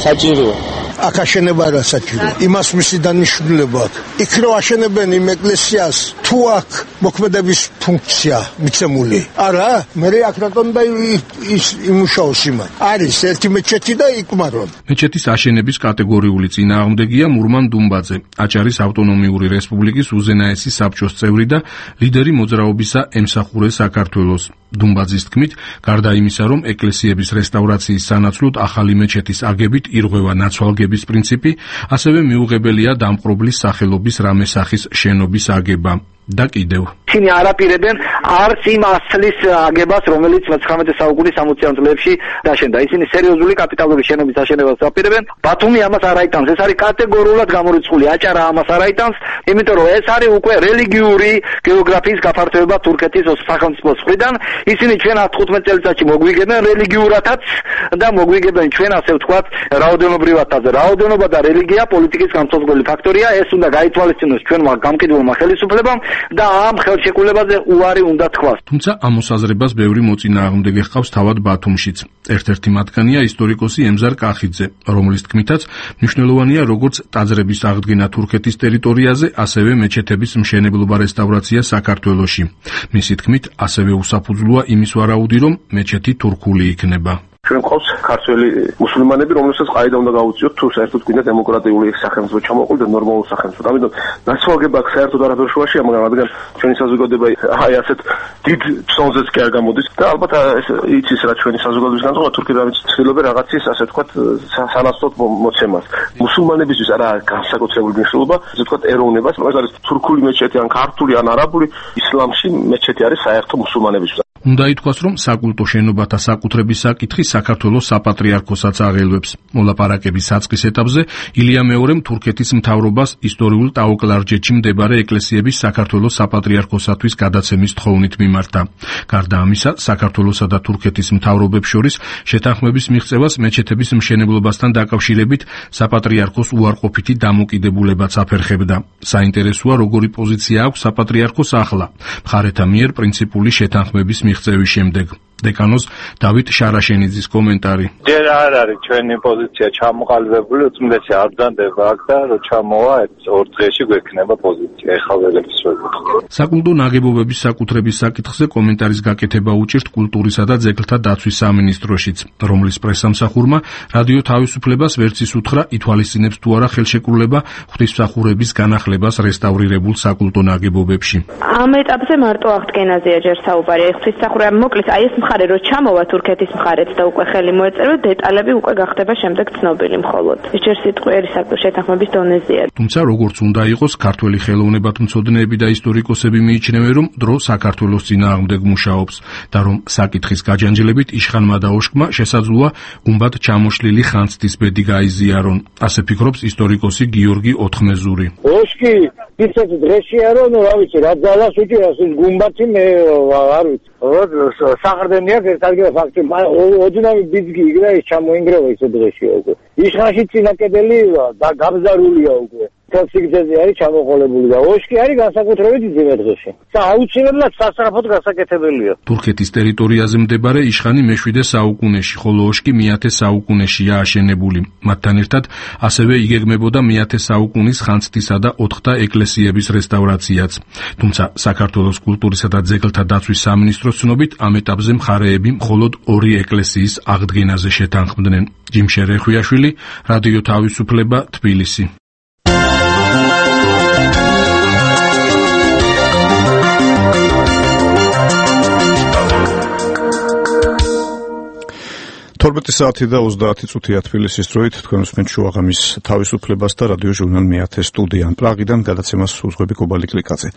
საჭიროა. აქ აშენება რა საჭიროა. იმას მისი დანიშნულება აქვს. იქ რო აშენებენ იმ ეკლესიას, თუ აქ მოქმედების ფუნქცია მიცემული. არა, მე აქ რატომ და ის იმუშაოს იმან. არის ერთი მეჩეთი და იკმარონ. მეჩეთის აშენების კატეგორიული წინააღმდეგია მურმან დუმბაძე, აჭარის ავტონომიური რესპუბლიკის უზენაესი საბჭოს წევრი და ლიდერი მოძრაობისა ემსახურე საქართველოს. დუმბაძის თქმით, გარდა იმისა, რომ ეკლესიების რესტავრაციის სანაცვლოდ ახალი მეჩეთის აგებით ირღვევა ნაცვალგების პრინციპი, ასევე მიუღებელია დამპყრობლის სახელობის რამე სახის შენობის აგება. და კიდევ ისინი არაპირებენ არც იმ ასლის აგებას, რომელიც 19 საუკუნის 60-იან წლებში დაშენდა. ისინი სერიოზული კაპიტალური შენობის აშენებას აპირებენ. ბათუმი ამას არ აიტანს. ეს არის კატეგორიულად გამორიცხული. აჭარა ამას არ აიტანს, იმიტომ რომ ეს არის უკვე რელიგიური გეოგრაფიის გაფართოება თურქეთის სახელმწიფოს მხრიდან. ისინი ჩვენ 15 წელიწადში მოგვიგებენ რელიგიურათაც და მოგვიგებენ ჩვენ ასე ვთქვათ რაოდენობრივათაც. რაოდენობა და რელიგია პოლიტიკის განსაზღვრელი ფაქტორია. ეს უნდა გაითვალისწინოს ჩვენმა გამყიდველმა ხელისუფლებამ და ამ ხელშეკრულებაზე უარი უნდა თქვას. თუმცა ამ მოსაზრებას ბევრი მოწინააღმდეგე ჰყავს თავად ბათუმშიც. ერთ-ერთი მათგანია ისტორიკოსი ემზარ კახიძე, რომლის თქმითაც მნიშვნელოვანია როგორც ტაძრების აღდგენა თურქეთის ტერიტორიაზე, ასევე მეჩეთების მშენებლობა რესტავრაცია საქართველოში. მისი თქმით, ასევე უსაფუძვლოა იმის ვარაუდი, რომ მეჩეთი თურქული იქნება. ჩვენ ყავს ქართველი მუსლიმანები, რომელსაც ყაიდა უნდა გაუწიოთ, თუ საერთოდ გვინდა დემოკრატიული სახელმწიფო ჩამოყალიბდეს და ნორმალური სახელმწიფო. ამიტომ ნაცვალგება აქ საერთოდ არაფერ შუაშია, მაგრამ რადგან ჩვენი საზოგადოება აი ასეთ დიდ ფსონზეც კი არ გამოდის და ალბათ ეს იცის რა ჩვენი საზოგადოების განწყობა თურქები რაღაც ცდილობენ რაღაცის ასე ვთქვათ სანაცვლოდ მოცემას. მუსლიმანებისთვის არა განსაკუთრებული მნიშვნელობა, ასე ვთქვათ ეროვნებას, ეს არის თურქული მეჩეთი ან ქართული ან არაბული, ისლამში მეჩეთი არის საერთო მუსლიმანებისთვის. უნდა ითქვას, რომ საკულტო შენობათა საკუთრების საკითხი საქართველოს საპატრიარქოსაც აღელვებს. მოლაპარაკების საწყის ეტაპზე ილია მეორემ თურქეთის მთავრობას ისტორიულ ტაო-კლარჯეთში მდებარე ეკლესიების საქართველოს საპატრიარქოსათვის გადაცემის თხოვნით მიმართა. გარდა ამისა, საქართველოსა და თურქეთის მთავრობებს შორის შეთანხმების მიღწევას მეჩეთების მშენებლობასთან დაკავშირებით საპატრიარქოს უარყოფითი დამოკიდებულებაც აფერხებდა. საინტერესოა, როგორი პოზიცია აქვს საპატრიარქოს ახლა, მხარეთა მიერ პრინციპული შეთანხმების მიღწევის შემდეგ. დეკანოს დავით შარაშენიძის კომენტარი. ჯერ არ არის ჩვენი პოზიცია ჩამოყალიბებული, უწმიდესი არ ბრძანდება აქ და რო ჩამოვა 2 დღეში გვექნება პოზიცია. ეხლა ველების რო გითხო. საკულტო ნაგებობების საკუთრების საკითხზე კომენტარის გაკეთება უჭირთ კულტურისა და ძეგლთა დაცვის სამინისტროშიც, რომლის პრესამსახურმა რადიო თავისუფლებას ვერც ის უთხრა, ითვალისწინებს თუ არა ხელშეკრულება ღვთისმსახურების განახლებას რესტავრირებულ საკულტო ნაგებობებში. ამ ეტაპზე მარტო აღდგენაზეა ჯერ საუბარი. ღვთისმსახურება მოკლის, აი ეს მხარე რო ჩამოვა თურქეთის მხარეც და უკვე ხელი მოეწერა, დეტალები უკვე გახდება შემდეგ ცნობილი მხოლოდ. ჯერ სიტყვიერი შეთანხმების დონეზეა. თუმცა როგორც უნდა იყოს, ქართველი ხელოვნებათმცოდნეები და ისტორიკოსები მიიჩნევენ, რომ დრო საქართველოს წინააღმდეგ მუშაობს და რომ საკითხის გაჯანჯილებით იშხანმა და ოშკმა შესაძლოა გუმბად ჩამოშლილი ხანძთის ბედი გაიზიარონ. ასე ფიქრობს ისტორიკოსი გიორგი ოთხმეზური. ოშკი ისეთ დღეშია, რომ რა ვიცი, რა ძალას უჭირავს ის გუმბათი, მე არ ვიცი. საყრდენი აქვს ერთ ადგილას ფაქტი, ოდნავი ბიძგი იგრა ის ჩამოინგრევა ისეთ დღეშია უკვე. იშხანში წინა კედელი და გაბზარულია უკვე. თელსიგძეზე არის ჩამოყოლებული და ოშკი არის განსაკუთრებით იძინე დღეში. აუცილებლად სასწრაფოდ გასაკეთებელია. თურქეთის ტერიტორიაზე მდებარე იშხანი მე-7 საუკუნეში, ხოლო ოშკი მე-10 საუკუნეშია აშენებული. მათთან ერთად ასევე იგეგმებოდა მე-10 საუკუნის ხანძთისა და ოთხთა ეკლესიების რესტავრაციაც. თუმცა საქართველოს კულტურისა და ძეგლთა დაცვის სამინისტროს ცნობით ამ ეტაპზე მხარეები მხოლოდ 2 ეკლესიის აღდგენაზე შეთანხმდნენ. ჯიმშე რეხვიაშვილი, რადიო თავისუფლება, თბილისი. საათი და 30 წუთია თბილისის დროით, თქვენ უსმენთ შუაღამის თავისუფლებას და რადიო ჟურნალ მე-10 სტუდიიდან პრაღიდან გადაცემას უძღვები კობალი კლიკაძე.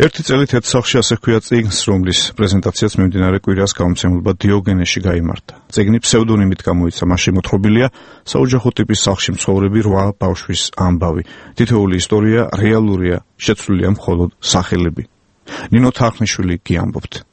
ერთი წელით ერთ სახლში ასე ჰქვია წიგნს, რომლის პრეზენტაციაც მიმდინარე კვირას გამომცემლობა დიოგენეში გაიმართა. წიგნი ფსევდონიმით გამოიცა, მასში მოთხრობილია საოჯახო ტიპის სახლში მცხოვრები 8 ბავშვის ამბავი. თითოეული ისტორია რეალურია, შეცვლილია მხოლოდ სახელები. ნინო თარხნიშვილი გიამბობთ.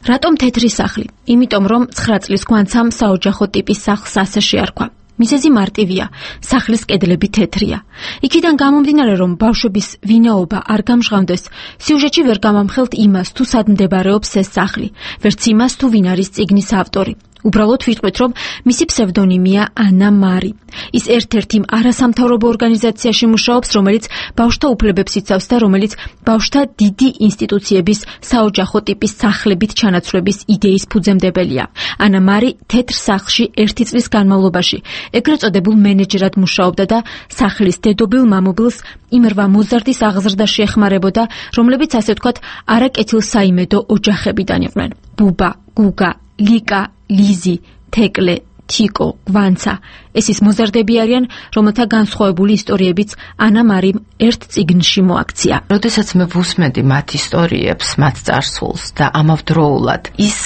რატომ თეთრი სახლი? იმიტომ რომ 9 წლის გვანცამ საოჯახო ტიპის სახლს ასე შეარქვა. მიზეზი მარტივია, სახლის კედლები თეთრია. იქიდან გამომდინარე, რომ ბავშვების ვინაობა არ გამჟღავნდეს, სიუჟეტში ვერ გამამხელთ იმას, თუ სად მდებარეობს ეს სახლი, ვერც იმას, თუ ვინ არის წიგნის ავტორი. უბრალოდ ვიტყვით, რომ მისი ფსევდონიმია ანა მარი. ის ერთ-ერთი არასამთავრობო ორგანიზაციაში მუშაობს, რომელიც ბავშვთა უფლებებს იცავს და რომელიც ბავშვთა დიდი ინსტიტუციების საოჯახო ტიპის სახლებით ჩანაცვლების იდეის ფუძემდებელია. ანა მარი თეთრ სახლში 1 წლის განმავლობაში ეგრეთ წოდებულ მენეჯერად მუშაობდა და სახლის დედობილ მამობილს იმ 8 მოზარდის აღზრდაში ეხმარებოდა, რომლებიც ასე ვთქვათ არაკეთილსაიმედო ოჯახებიდან იყვნენ. ბუბა, გუგა, ლიკა, ლიზი, თეკლე, თიკო, გვანცა. ეს ის მოზარდები არიან, რომელთა განსხვავებული ისტორიებიც ანა მარიმ ერთ წიგნში მოაქცია. როდესაც მე ვუსმენდი მათ ისტორიებს, მათ წარსულს და ამავდროულად ის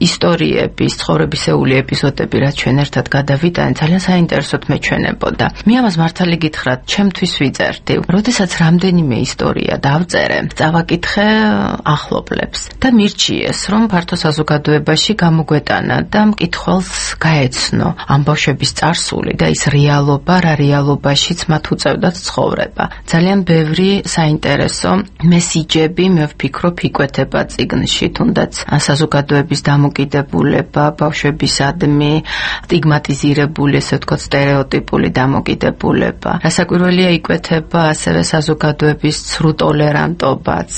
ისტორიების, ცხოვრებისეული ეპიზოდები, რაც ჩვენ ერთად გადავიტანეთ, ძალიან საინტერესოდ მეჩვენებოდა. მე ამას მართალი გითხრათ, ჩემთვის ვიწერდი. როდესაც რამდენიმე ისტორია დავწერე, წავაკითხე ახლობლებს და მირჩიეს, რომ ფართო საზოგადოებაში გამოგვეტანა და მკითხველს გაეცნო ამ ბავშვების წარსული და ის რეალობა, რა რეალობაშიც მათ უწევდათ ცხოვრება. ძალიან ბევრი საინტერესო მესიჯები, მე ვფიქრობ, იკვეთება წიგნში, თუნდაც საზოგადოების დამოკიდებულება, ბავშვებისადმი სტიგმატიზირებული, ესე ვთქვათ, სტერეოტიპული დამოკიდებულება. რასაკვირველია, იკვეთება ასევე საზოგადოების ცრუ ტოლერანტობაც.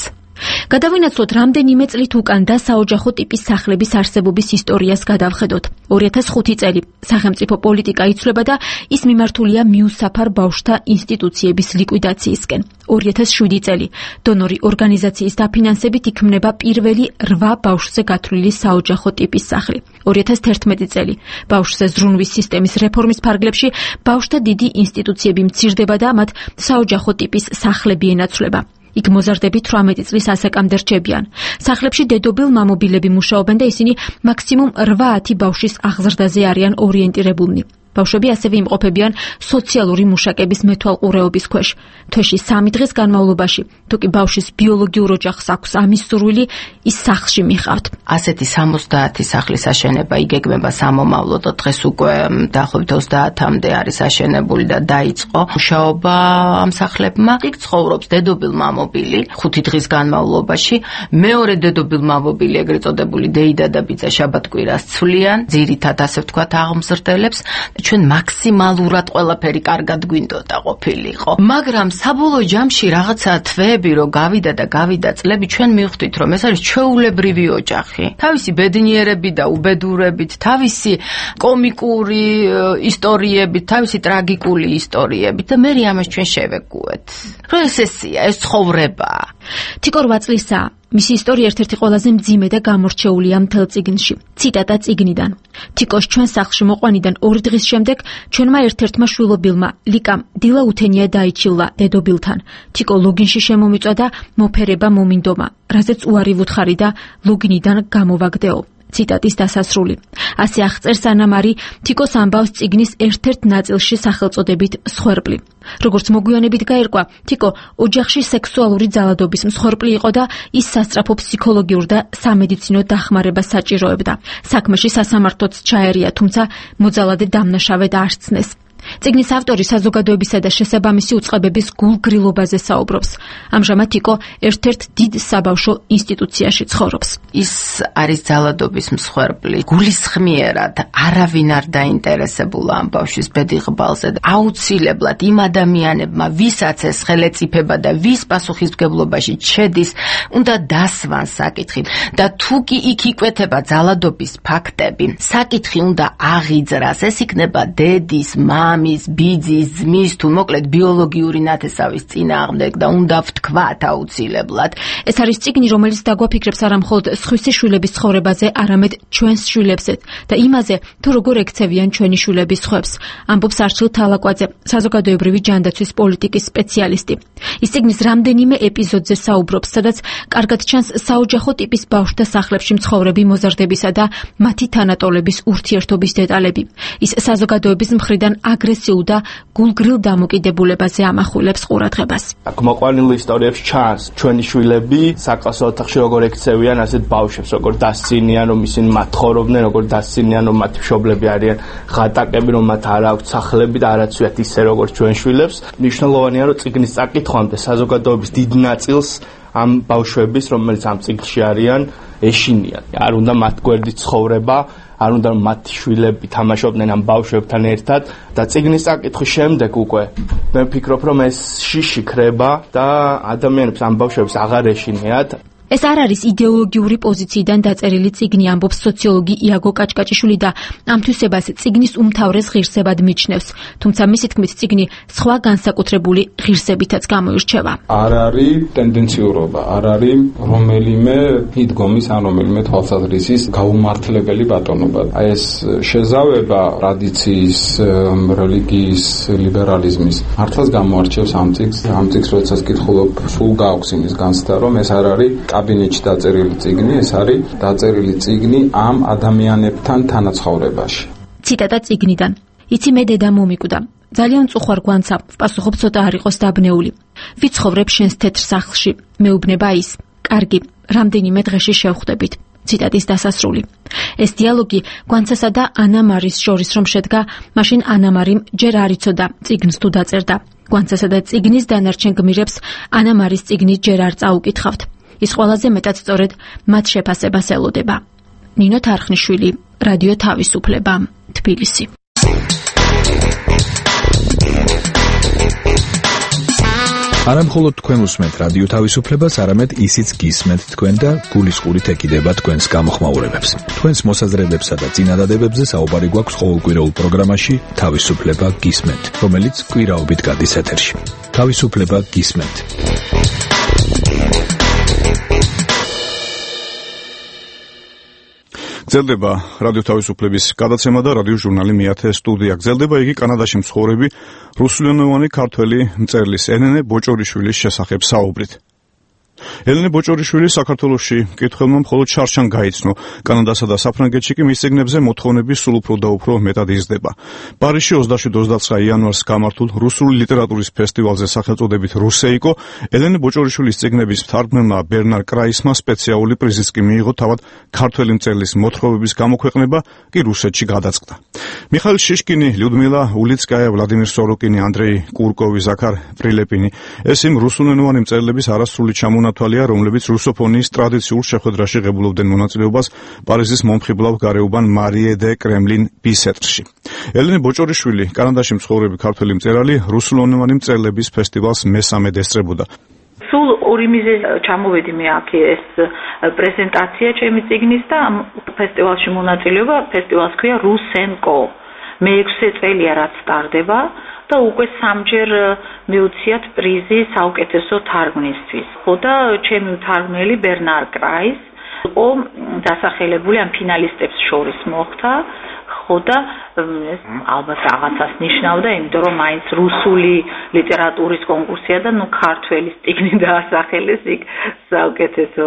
გადავინაცვლოთ რამდენიმე წლით უკან და საოჯახო ტიპის სახლების არსებობის ისტორიას გადავხედოთ. 2005 წელი სახელმწიფო პოლიტიკა იცვლება და ის მიმართულია მიუსაფარ ბავშვთა ინსტიტუციების ლიკვიდაციისკენ. 2007 წელი დონორი ორგანიზაციის დაფინანსებით იქმნება პირველი 8 ბავშვზე გათვლილი საოჯახო ტიპის სახლი. 2011 წელი ბავშვზე ზრუნვის სისტემის რეფორმის ფარგლებში ბავშვთა დიდი ინსტიტუციები მცირდება და მათ საოჯახო ტიპის სახლები ენაცვლება. იქ მოზარდები 18 წლის ასაკამდე რჩებიან. სახლებში დედობილ მამობილები მუშაობენ და ისინი მაქსიმუმ 8-10 ბავშვის აღზრდაზე არიან ორიენტირებულნი. ბავშვები ასევე იმყოფებიან სოციალური მუშაკების მეთვალყურეობის ქვეშ. თვეში 3 დღის განმავლობაში, თუ კი ბავშვის ბიოლოგიურ ოჯახს აქვს ამის სურვილი, ის სახლში მიყავთ. ასეთი 70 სახლის აშენება იგეგმება სამომავლოდ, დღეს უკვე დაახლოებით 30-მდე არის აშენებული და დაიწყო მუშაობა ამ სახლებმა. იქ ცხოვრობს დედობილ მამობილი 5 დღის განმავლობაში, მეორე დედობილ მამობილი, ეგრეთ წოდებული დეიდა და ბიძა შაბათ-კვირას ცვლიან, ძირითადად ასე ვთქვათ აღმზრდელებს. ჩვენ მაქსიმალურად ყველაფერი კარგად გვინდოდა ყოფილიყო. მაგრამ საბოლოო ჯამში რაღაცა თვეები რო გავიდა წლები, ჩვენ მივხვდით, რომ ეს არის ჩვეულებრივი ოჯახი. თავისი ბედნიერებით და უბედურებით, თავისი კომიკური ისტორიებით, თავისი ტრაგიკული ისტორიებით და მე ამას ჩვენ შევეგუეთ. რომ ეს ესია, ეს ცხოვრებაა. თიკო 8 წლისაა. მისი ისტორია ერთ-ერთი ყველაზე მძიმე და გამორჩეულია მთელ წიგნში. ციტატა წიგნიდან. თიკოს ჩვენ სახლში მოყვანიდან 2 დღის შემდეგ ჩვენმა ერთ-ერთმა შვილობილმა ლიკამ დილა უთენია დაიჩილა დედობილთან. თიკო ლოგინში შემომიწვა და მოფერება მომინდომა, რაზეც უარი ვუთხარი და ლოგინიდან გამოვაგდეო. ციტატის დასასრული. ასე აღწერს ანამარი თიკოს ამბავს წიგნის ერთ-ერთ ნაწილში სახელწოდებით მსხვერპლი. როგორც მოგვიანებით გაირკვა, თიკო ოჯახში სექსუალური ძალადობის მსხვერპლი იყო და ის სასწრაფო ფსიქოლოგიურ და სამედიცინო დახმარებას საჭიროებდა. საქმეში სასამართლოც ჩაერია, თუმცა მოძალადე დამნაშავედ არ სცნეს. წიგნის ავტორი საზოგადოებისა და შესაბამისი უწყებების გულგრილობაზე საუბრობს. ამჟამად თიკო ერთ-ერთ დიდ საბავშვო ინსტიტუციაში ცხოვრობს. ის არის ძალადობის მსხვერპლი. გულისხმიერად არავინ არ დაინტერესებულა ამ ბავშვის ბედიღბალზე. აუცილებლად იმ ადამიანებმა, ვისაც ეს ხელეწიფება და ვის პასუხისმგებლობაში შედის, უნდა დასვან საკითხი და თუ კი იქ იკვეთება ძალადობის ფაქტები, საკითხი უნდა აღიძრას. ეს იქნება დედის, მამის, ბიძის, ძმის, თუ მოკლედ ბიოლოგიური ნათესავის წინააღმდეგ და უნდა ვთქვათ აუცილებლად. ეს არის წიგნი, რომელიც დაგვაფიქრებს არა მხოლოდ სხვისი შვილების ცხოვრებაზე, არამედ ჩვენს შვილებზეც და იმაზე, თუ როგორ ექცევიან ჩვენი შვილების ხვებს. ამბობს არჩილ თალაკვაძე, საზოგადოებრივი ჯანდაცვის პოლიტიკის სპეციალისტი. ის წიგნის რამდენიმე ეპიზოდზე საუბრობს, სადაც კარგად ჩანს საოჯახო ტიპის ბავშვთა სახლებში მცხოვრები მოზარდებისა და მათი თანატოლების ურთიერთობის დეტალები. ის საზოგადოების მხრიდან აგრესიულ და გულგრილ დამოკიდებულებაზე ამახვილებს ყურადღებას. აქ მოყვანილ ისტორიებში ჩანს ჩვენი შვილები საკლასო ოთახში როგორ ექცევიან ასეთ ბავშვებს, როგორ დასცინიან, რომ ისინი მათ ხოვრობდნენ, როგორ დასცინიან, რომ მათი მშობლები არიან ღატაკები, რომ მათ არ აქვთ სახლები და არაცვიათ ისე როგორც ჩვენ შვილებს. მნიშვნელოვანია, რომ წიგნის წაკითხვამდე საზოგადოების დიდ ნაწილს ამ ბავშვების, რომელიც ამ წიგნში არიან, ეშინიან. არ უნდა მათ გვერდით ცხოვრება, არ უნდა მათი შვილები თამაშობდნენ ამ ბავშვებთან ერთად და წიგნის წაკითხვის შემდეგ უკვე მე ვფიქრობ, რომ ეს შიში ქრება და ადამიანებს ამ ბავშვებს აღარ ეშინიათ. ეს არ არის იდეოლოგიური პოზიციიდან დაწერილი წიგნი, ამბობს სოციოლოგი იაგო კაჭკაჭიშვილი და ამ თვისებას წიგნის უმთავრეს ღირსებად მიჩნევს. თუმცა მისი თქმით წიგნი სხვა განსაკუთრებული ღირსებითაც გამოირჩევა. არ არის ტენდენციურობა, არ არის რომელიმე იდგომის ან რომელიმე თვალსაზრისის გაუმართლებელი ბატონობა. აი ეს შეზავება ტრადიციის, რელიგიის, ლიბერალიზმის მართლაც გამოარჩევს ამ წიგნს. ამ წიგნს როდესაც კითხულობ, სულ გააქვს იმის განცდა, რომ ეს არ არის კაბინეტში დაწერილი წიგნი, ეს არის დაწერილი წიგნი ამ ადამიანებთან თანაცხოვრებაში. ციტატა წიგნიდან. იცი მე დედა მომიკვდა. ძალიან წუხვარ გვანცა, ვპასუხობ ცოტა არ იყოს დაბნეული. ვიცხოვრებ შენს თეთრ სახლში. მეუბნება ის. კარგი, რამდენიმე დღეში შევხვდებით. ციტატის დასასრული. ეს დიალოგი გვანცასა და ანამარის შორის რომ შედგა, მაშინ ანამარიმ ჯერ არ იცოდა წიგნს თუ დაწერდა. გვანცასა და წიგნის დანარჩენ გმირებს ანამარის წიგნი ჯერ არ წაუკითხავთ. ის ყველაზე მეტად სწორედ მათ შეფასებას ელოდება. ნინო თარხნიშვილი, რადიო თავისუფლება, თბილისი. არა მხოლოდ თქვენ უსმენთ რადიო თავისუფლებას, არამედ ისიც გისმენთ თქვენ და გულისყურით ეკიდება თქვენს გამოხმაურებებს. თქვენს მოსაზრებებსა და წინადადებებზე საუბარი გვაქვს ყოველკვირეულ პროგრამაში თავისუფლება გისმენთ, რომელიც კვირაობით გადის ეთერში. თავისუფლება გისმენთ. გრძელდება რადიო თავისუფლების გადაცემა და რადიო ჟურნალი მეათე სტუდია. გრძელდება იგი კანადაში მცხოვრები რუსულენოვანი ქართველი მწერლის ელენე ბოჭორიშვილის შესახებ საუბრით. ელენე ბოჭორიშვილი საქართველოში კითხველმა მხოლოდ შარშან გაიცნო. კანადასა და საფრანგეთში კი მის წიგნებზე მოთხოვნები სულ უფრო და უფრო მეტად იზრდება. პარიზში 27-29 იანვარს გამართულ რუსული ლიტერატურის ფესტივალზე სახელწოდებით რუსეიკო ელენე ბოჭორიშვილის წიგნების მთარგმნელმა ბერნარ კრაისმა სპეციალური პრიზიც კი მიიღო, თავად ქართველი მწერლის მოთხრობების გამოქვეყნება კი რუსეთში გადაწყდა. მიხაილ შიშკინი, ლიუდმილა ულიცკაია, ვლადიმირ სოროკინი, ანდრეი კურკოვი, ზაქარ პრილეპინი ეს იმ რუსულენოვანი მწერლების არასრული ჩამონათვალია, რომლებიც რუსოფონიის ტრადიციულ შეხვედრაში ღებულობდნენ მონაწილეობას პარიზის მომხიბლავ გარეუბან მარიე დე კრემლინ ბისეტრში. ელენე ბოჭორიშვილი, კანადაში მცხოვრები ქართველი მწერალი, რუსულენოვანი მწერლების ფესტივალს მესამედ ესწრებოდა. სულ ორი მიზეზ ჩამოვედი მე აქ ეს პრეზენტაცია ჩემი წიგნის და ფესტივალში მონაწილეობა, ფესტივალს ქვია რუსენკო. მე-6 წელია რაც სტარდება და უკვე 3-ჯერ მიუციათ პრიზი საუკეთესო თარგმნისთვის. ხო და ჩემი თარგმნელი ბერნარ კრაის იყო დასახელებული ამ ფინალისტებს შორის მოხდა. ხო და ეს ალბათ რაღაცას ნიშნავდა, იმიტომ რომ მაინც რუსული ლიტერატურის კონკურსია და ქართველის წიგნი დაასახელეს იქ საუკეთესო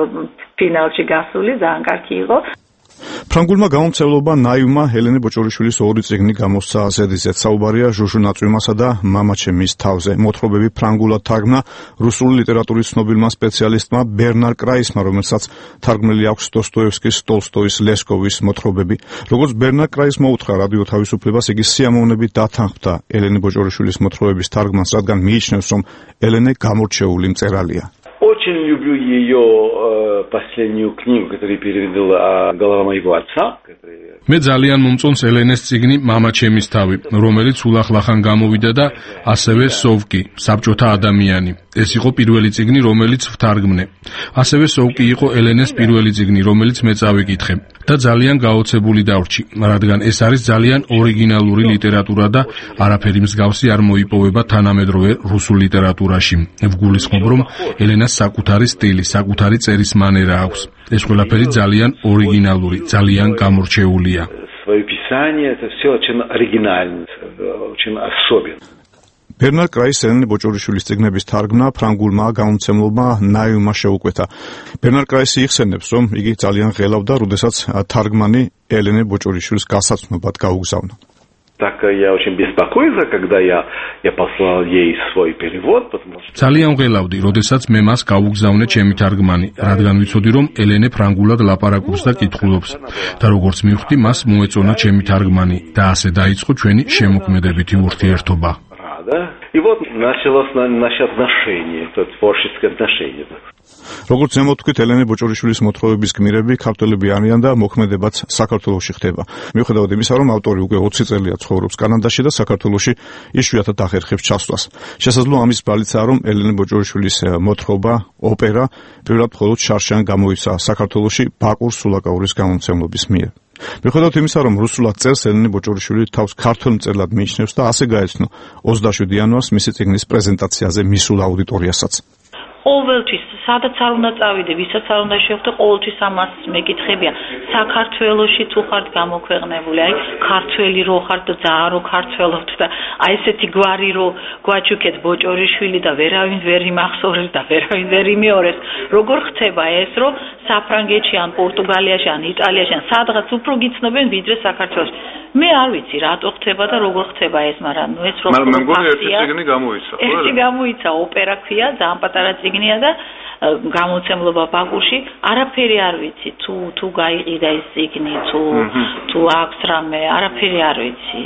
ფინალში გასული, ძალიან კარგი იყო. ფრანგულმა გამომცემლობა ნაივმა ელენე ბოჭორიშვილის 2 წიგნი გამოსცა ასედიზეთ. საუბარია ჟუჟუ ნაწვიმასა და მამაჩემის თავზე. მოთხრობები ფრანგულად თარგმნა რუსული ლიტერატურის ცნობილმა სპეციალისტმა ბერნარ კრაისმა, რომელსაც თარგმნილი აქვს დოსტოევსკის, ტოლსტოის, ლესკოვის მოთხრობები. როგორც ბერნარ კრაისმა უთხრა რადიო თავისუფლებას, იგი სიამოვნებით დათანხმდა ელენე ბოჭორიშვილის моთხრობების თარგმანს, რადგან მიიჩნევს, რომ ელენე გამორჩეული მწერალია. Очень люблю ее последнюю книгу, которую переводил голова моего отца. მე ძალიან მომწონს ელენეს წიგნი მამაჩემის თავი, რომელიც ულახლახან გამოვიდა და ასევე სოვკი, საბჭოთა ადამიანი. ეს იყო პირველი წიგნი, რომელიც ვთარგმნე. ასევე სოვკი იყო ელენეს პირველი წიგნი, რომელიც მე წავიკითხე და ძალიან გაოცებული დავრჩი, რადგან ეს არის ძალიან ორიგინალური ლიტერატურა და არაფერი მსგავსი არ მოიპოვება თანამედროვე რუსულ ლიტერატურაში. ვგულისხმობ, რომ ელენას საკუთარი სტილი, საკუთარი წერის მანერა აქვს. ეს ყველაფერი ძალიან ორიგინალური, ძალიან გამორჩეულია. Свое писание это все очень оригинально, очень особенно. ბერნარ კრაის ელენე ბოჭორიშვილის წიგნების თარგმნა ფრანგულმა გამომცემლობმა ნაივმა შეუკვეთა. ბერნარ კრაისი იხსენებს, რომ იგი ძალიან ღელავდა, როდესაც თარგმანი ელენე ბოჭორიშვილის გასაცნობად გაუგზავნა. Так я очень беспокоился, когда я послал ей свой перевод, потому что ძალიან ღელავდი, როდესაც მე მას გაუგზავნე ჩემი თარგმანი, რადგან ვიცოდი, რომ ელენე ფრანგულად ლაპარაკობს და კითხულობს. და როგორც მივხვდი, მას მოეწონა ჩემი თარგმანი და ასე დაიწყო ჩვენი შემოქმედებითი ურთიერთობა. И вот началось наше отношение, это творческое отношение. როგორც ზემოთ ვთქვით, ელენე ბოჭორიშვილის მოთხრობების გმირები ქართველები არიან და მოქმედებაც საქართველოში ხდება. მიუხედავად იმისა, რომ ავტორი უკვე 20 წელია ცხოვრობს კანადაში და საქართველოში იშვიათად ახერხებს ჩასვლას. შესაძლოა ამის ბრალიცაა, რომ ელენე ბოჭორიშვილის მოთხრობა, ოპერა პირველად მხოლოდ შარშან გამოიცა საქართველოში ბაკურ სულაკაურის გამომცემლობის მიერ. მიუხედავად იმისა, რომ რუსულად წერს, ელენე ბოჭორიშვილი თავს ქართველ მწერლად მიიჩნევს და ასე გაეცნო 27 იანვარს მისი წიგნის პრეზენტაციაზე მისულ აუდიტორიასაც. ყოველთვის სადაც არ უნდა წავიდე, ვისაც არ უნდა შევხვდე, ყოველთვის ამას მეკითხებია. საქართველოში თუ ხართ გამოქვეყნებული, აი ქართველი რო ხართ და ძალიან რო ქართველობთ და აი ესეთი გვარი რო გვაჩუქეთ ბოჭორიშვილი და ვერავინ ვერ იმახსოვრებს და ვერავინ ვერ იმეორებს. როგორ ხდება ეს, რომ საფრანგეთში ან პორტუგალიაში ან იტალიაში ან სადღაც უფრო გიცნობენ ვიდრე საქართველოში. მე არ ვიცი რატო ხდება და როგორ ხდება ეს, მაგრამ ეს რო მაგრამ მე მგონი ერთი წიგნი გამოიცა, ხო? ერთი გამოიცა, ოპერა ქვია, ძალიან პატარა წიგნია და გამოცემლობა ბაკურში, არაფერი არ ვიცი, თუ გაიყიდა ეს წიგნი, თუ აქვს რამე, არაფერი არ ვიცი.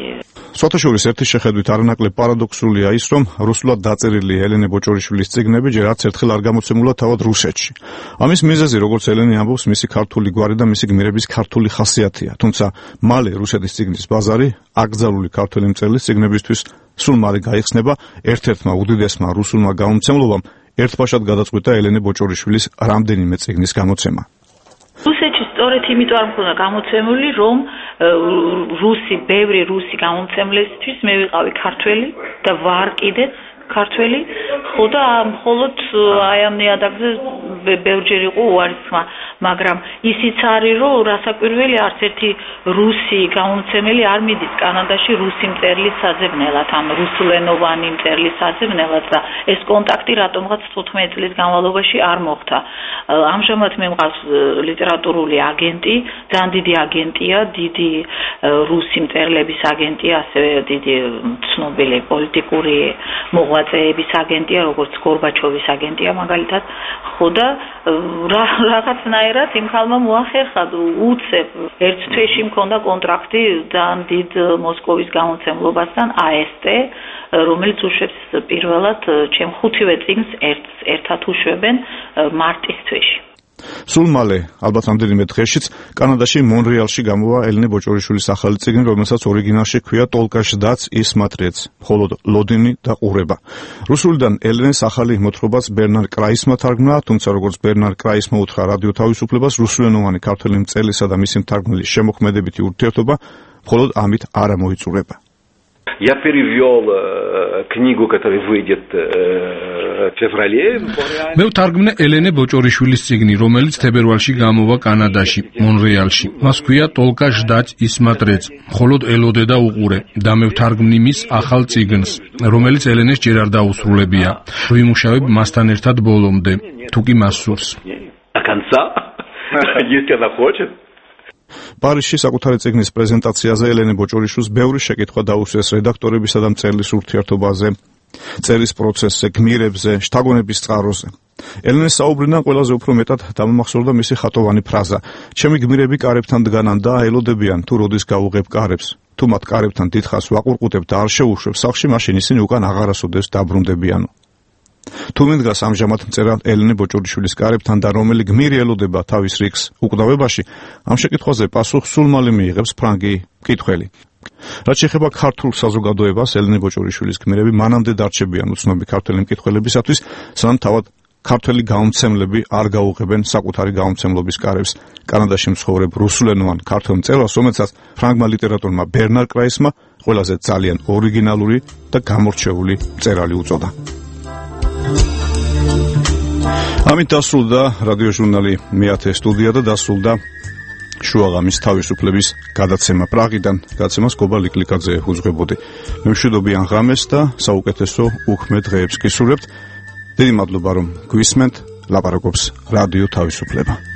სვათაშორის ერთი შეხედვით არანაკლებ პარადოქსულია ის, რომ რუსულად დაწერილი ელენე ბოჭორიშვილის წიგნები ჯერ არც ერთხელ არ გამოცემულა თავად რუსეთში. ამის მიზეზი, როგორც ელენე ამბობს, მისი ქართული გვარი და მისი გმირების ქართული ხასიათია. თუმცა მალე რუსეთის წიგნის ბაზარი აკრძალული ქართველი მწერლის წიგნებისთვის სულ მალე გაიხსნება ერთ-ერთმა უდიდესმა რუსულმა გამომცემლობამ ერთბაშად გადაწყვიტა ელენე ბოჭორიშვილის რამდენიმე წიგნის გამოცემა. რუსეთში სწორედ იმიტომ არ მქონდა გამოცემული, რომ ბევრი რუსი გამომცემლისთვის მე ვიყავი ქართველი და ვარ კიდეც ქართველი, ხო და მხოლოდ აი ამ ნიადაგზე ბევრჯერ იყო უარისხმა, მაგრამ ისიც არის, რომ რასაკვირველი არც ერთი რუსი გამომცემელი არ მიდის კანადაში რუსი მწერლის საძებნელად, ან რუსულენოვანი მწერლის საძებნელად და ეს კონტაქტი რატომღაც 15 წლის განმავლობაში არ მოხდა. ამჟამად მე მყავს ლიტერატურული აგენტი, ძალიან დიდი აგენტია, დიდი რუსი მწერლების აგენტია, ასევე დიდი ცნობილი პოლიტიკური მოღვაწეების აგენტია, როგორც გორბაჩოვის აგენტია მაგალითად, ხო და რაღაცნაირად იმ ხალმა მოახერხა უცებ ერთ თვეში მქონდა კონტრაქტი ძალიან დიდ მოსკოვის გამოცემლობასთან AST, რომელიც უშვებს პირველად ჩემ 5-ვე წიგნს ერთად უშვებენ მარტის თვეში. სულ მალე, ალბათ რამდენიმე დღეშიც, კანადაში მონრეალში გამოვა ელენე ბოჭორიშვილის ახალი წიგნი, რომელსაც ორიგინალში ჰქვია ტოლკაშდაც ის მატრიეც, მხოლოდ ლოდინი და ყურება. რუსულიდან ელენეს ახალი მოთხრობაც ბერნარ კრაისმა თარგმნა, თუმცა როგორც ბერნარ კრაისმა უთხრა რადიო თავისუფლებას, რუსულენოვანი ქართველი მწერლისა და მისი მთარგმნელის შემოქმედებითი ურთიერთობა მხოლოდ ამით არ მოიწურება. Я перевёл книгу, которая выйдет в феврале. მე ვთარგმნე ელენე ბოჭორიშვილის წიგნი, რომელიც თებერვალში გამოვა კანადაში, მონრეალში. მას ქვია ტოლკა ჟდაც ისმატრეც, მხოლოდ ელოდე და უყურე და მე ვთარგმნი მის ახალ წიგნს, რომელიც ელენეს ჯერ არ დაუსრულებია. ვიმუშავებ მასთან ერთად ბოლომდე, თუ კი მას სურს. До конца, если она хочет. პარიზში საკუთარი წიგნის პრეზენტაციაზე ელენე ბოჭორიშვილს ბევრი შეკითხვა დაუსვეს რედაქტორებისა და მწერლის ურთიერთობაზე, წერის პროცესზე, გმირებზე, შთაგონების წყაროზე. ელენეს საუბრიდან ყველაზე უფრო მეტად დამამახსოვრდა მისი ხატოვანი ფრაზა: ჩემი გმირები კარებთან დგანან და აელოდებიან, თუ როდის გავუღებ კარებს. თუ მათ კარებთან დიდხანს ვაყურყუტებ და არ შევუშვებ სახლში, მაშინ ისინი უკან აღარასოდეს დაბრუნდებიანო. თუ მიდგას ამჟამად მწერალ ელენე ბოჭორიშვილის კარებთან და რომელი გმირი ელოდება თავის რიგს უკდავებაში, ამ შეკითხვაზე პასუხს სულ მალე მიიღებს ფრანგი მკითხველი. რაც შეეხება ქართულ საზოგადოებას, ელენე ბოჭორიშვილის გმირები მანამდე დარჩებიან უცნობი ქართველი მკითხველებისათვის, სანამ თავად ქართველი გამომცემლები არ გაუღებენ საკუთარი გამომცემლობის კარებს. კანადაში მცხოვრებ რუსულენოვან ქართველ მწერალს, რომელსაც ფრანგმა ლიტერატორმა ბერნარ კრაისმა ყველაზე ძალიან ორიგინალური და გამორჩეული მწერალი უწოდა. ამით დასრულდა რადიო ჟურნალი მე-10 სტუდია და დასრულდა შუაღამის თავისუფლების გადაცემა პრაღიდან. გადაცემას გობა ლიკლიკაძე უძღვებოდი. მე მშვიდობიან ღამეს და საუკეთესო უქმე დღეებს გისურვებთ. დიდი მადლობა რომ გვისმენთ. ლაპარაკობს რადიო თავისუფლება.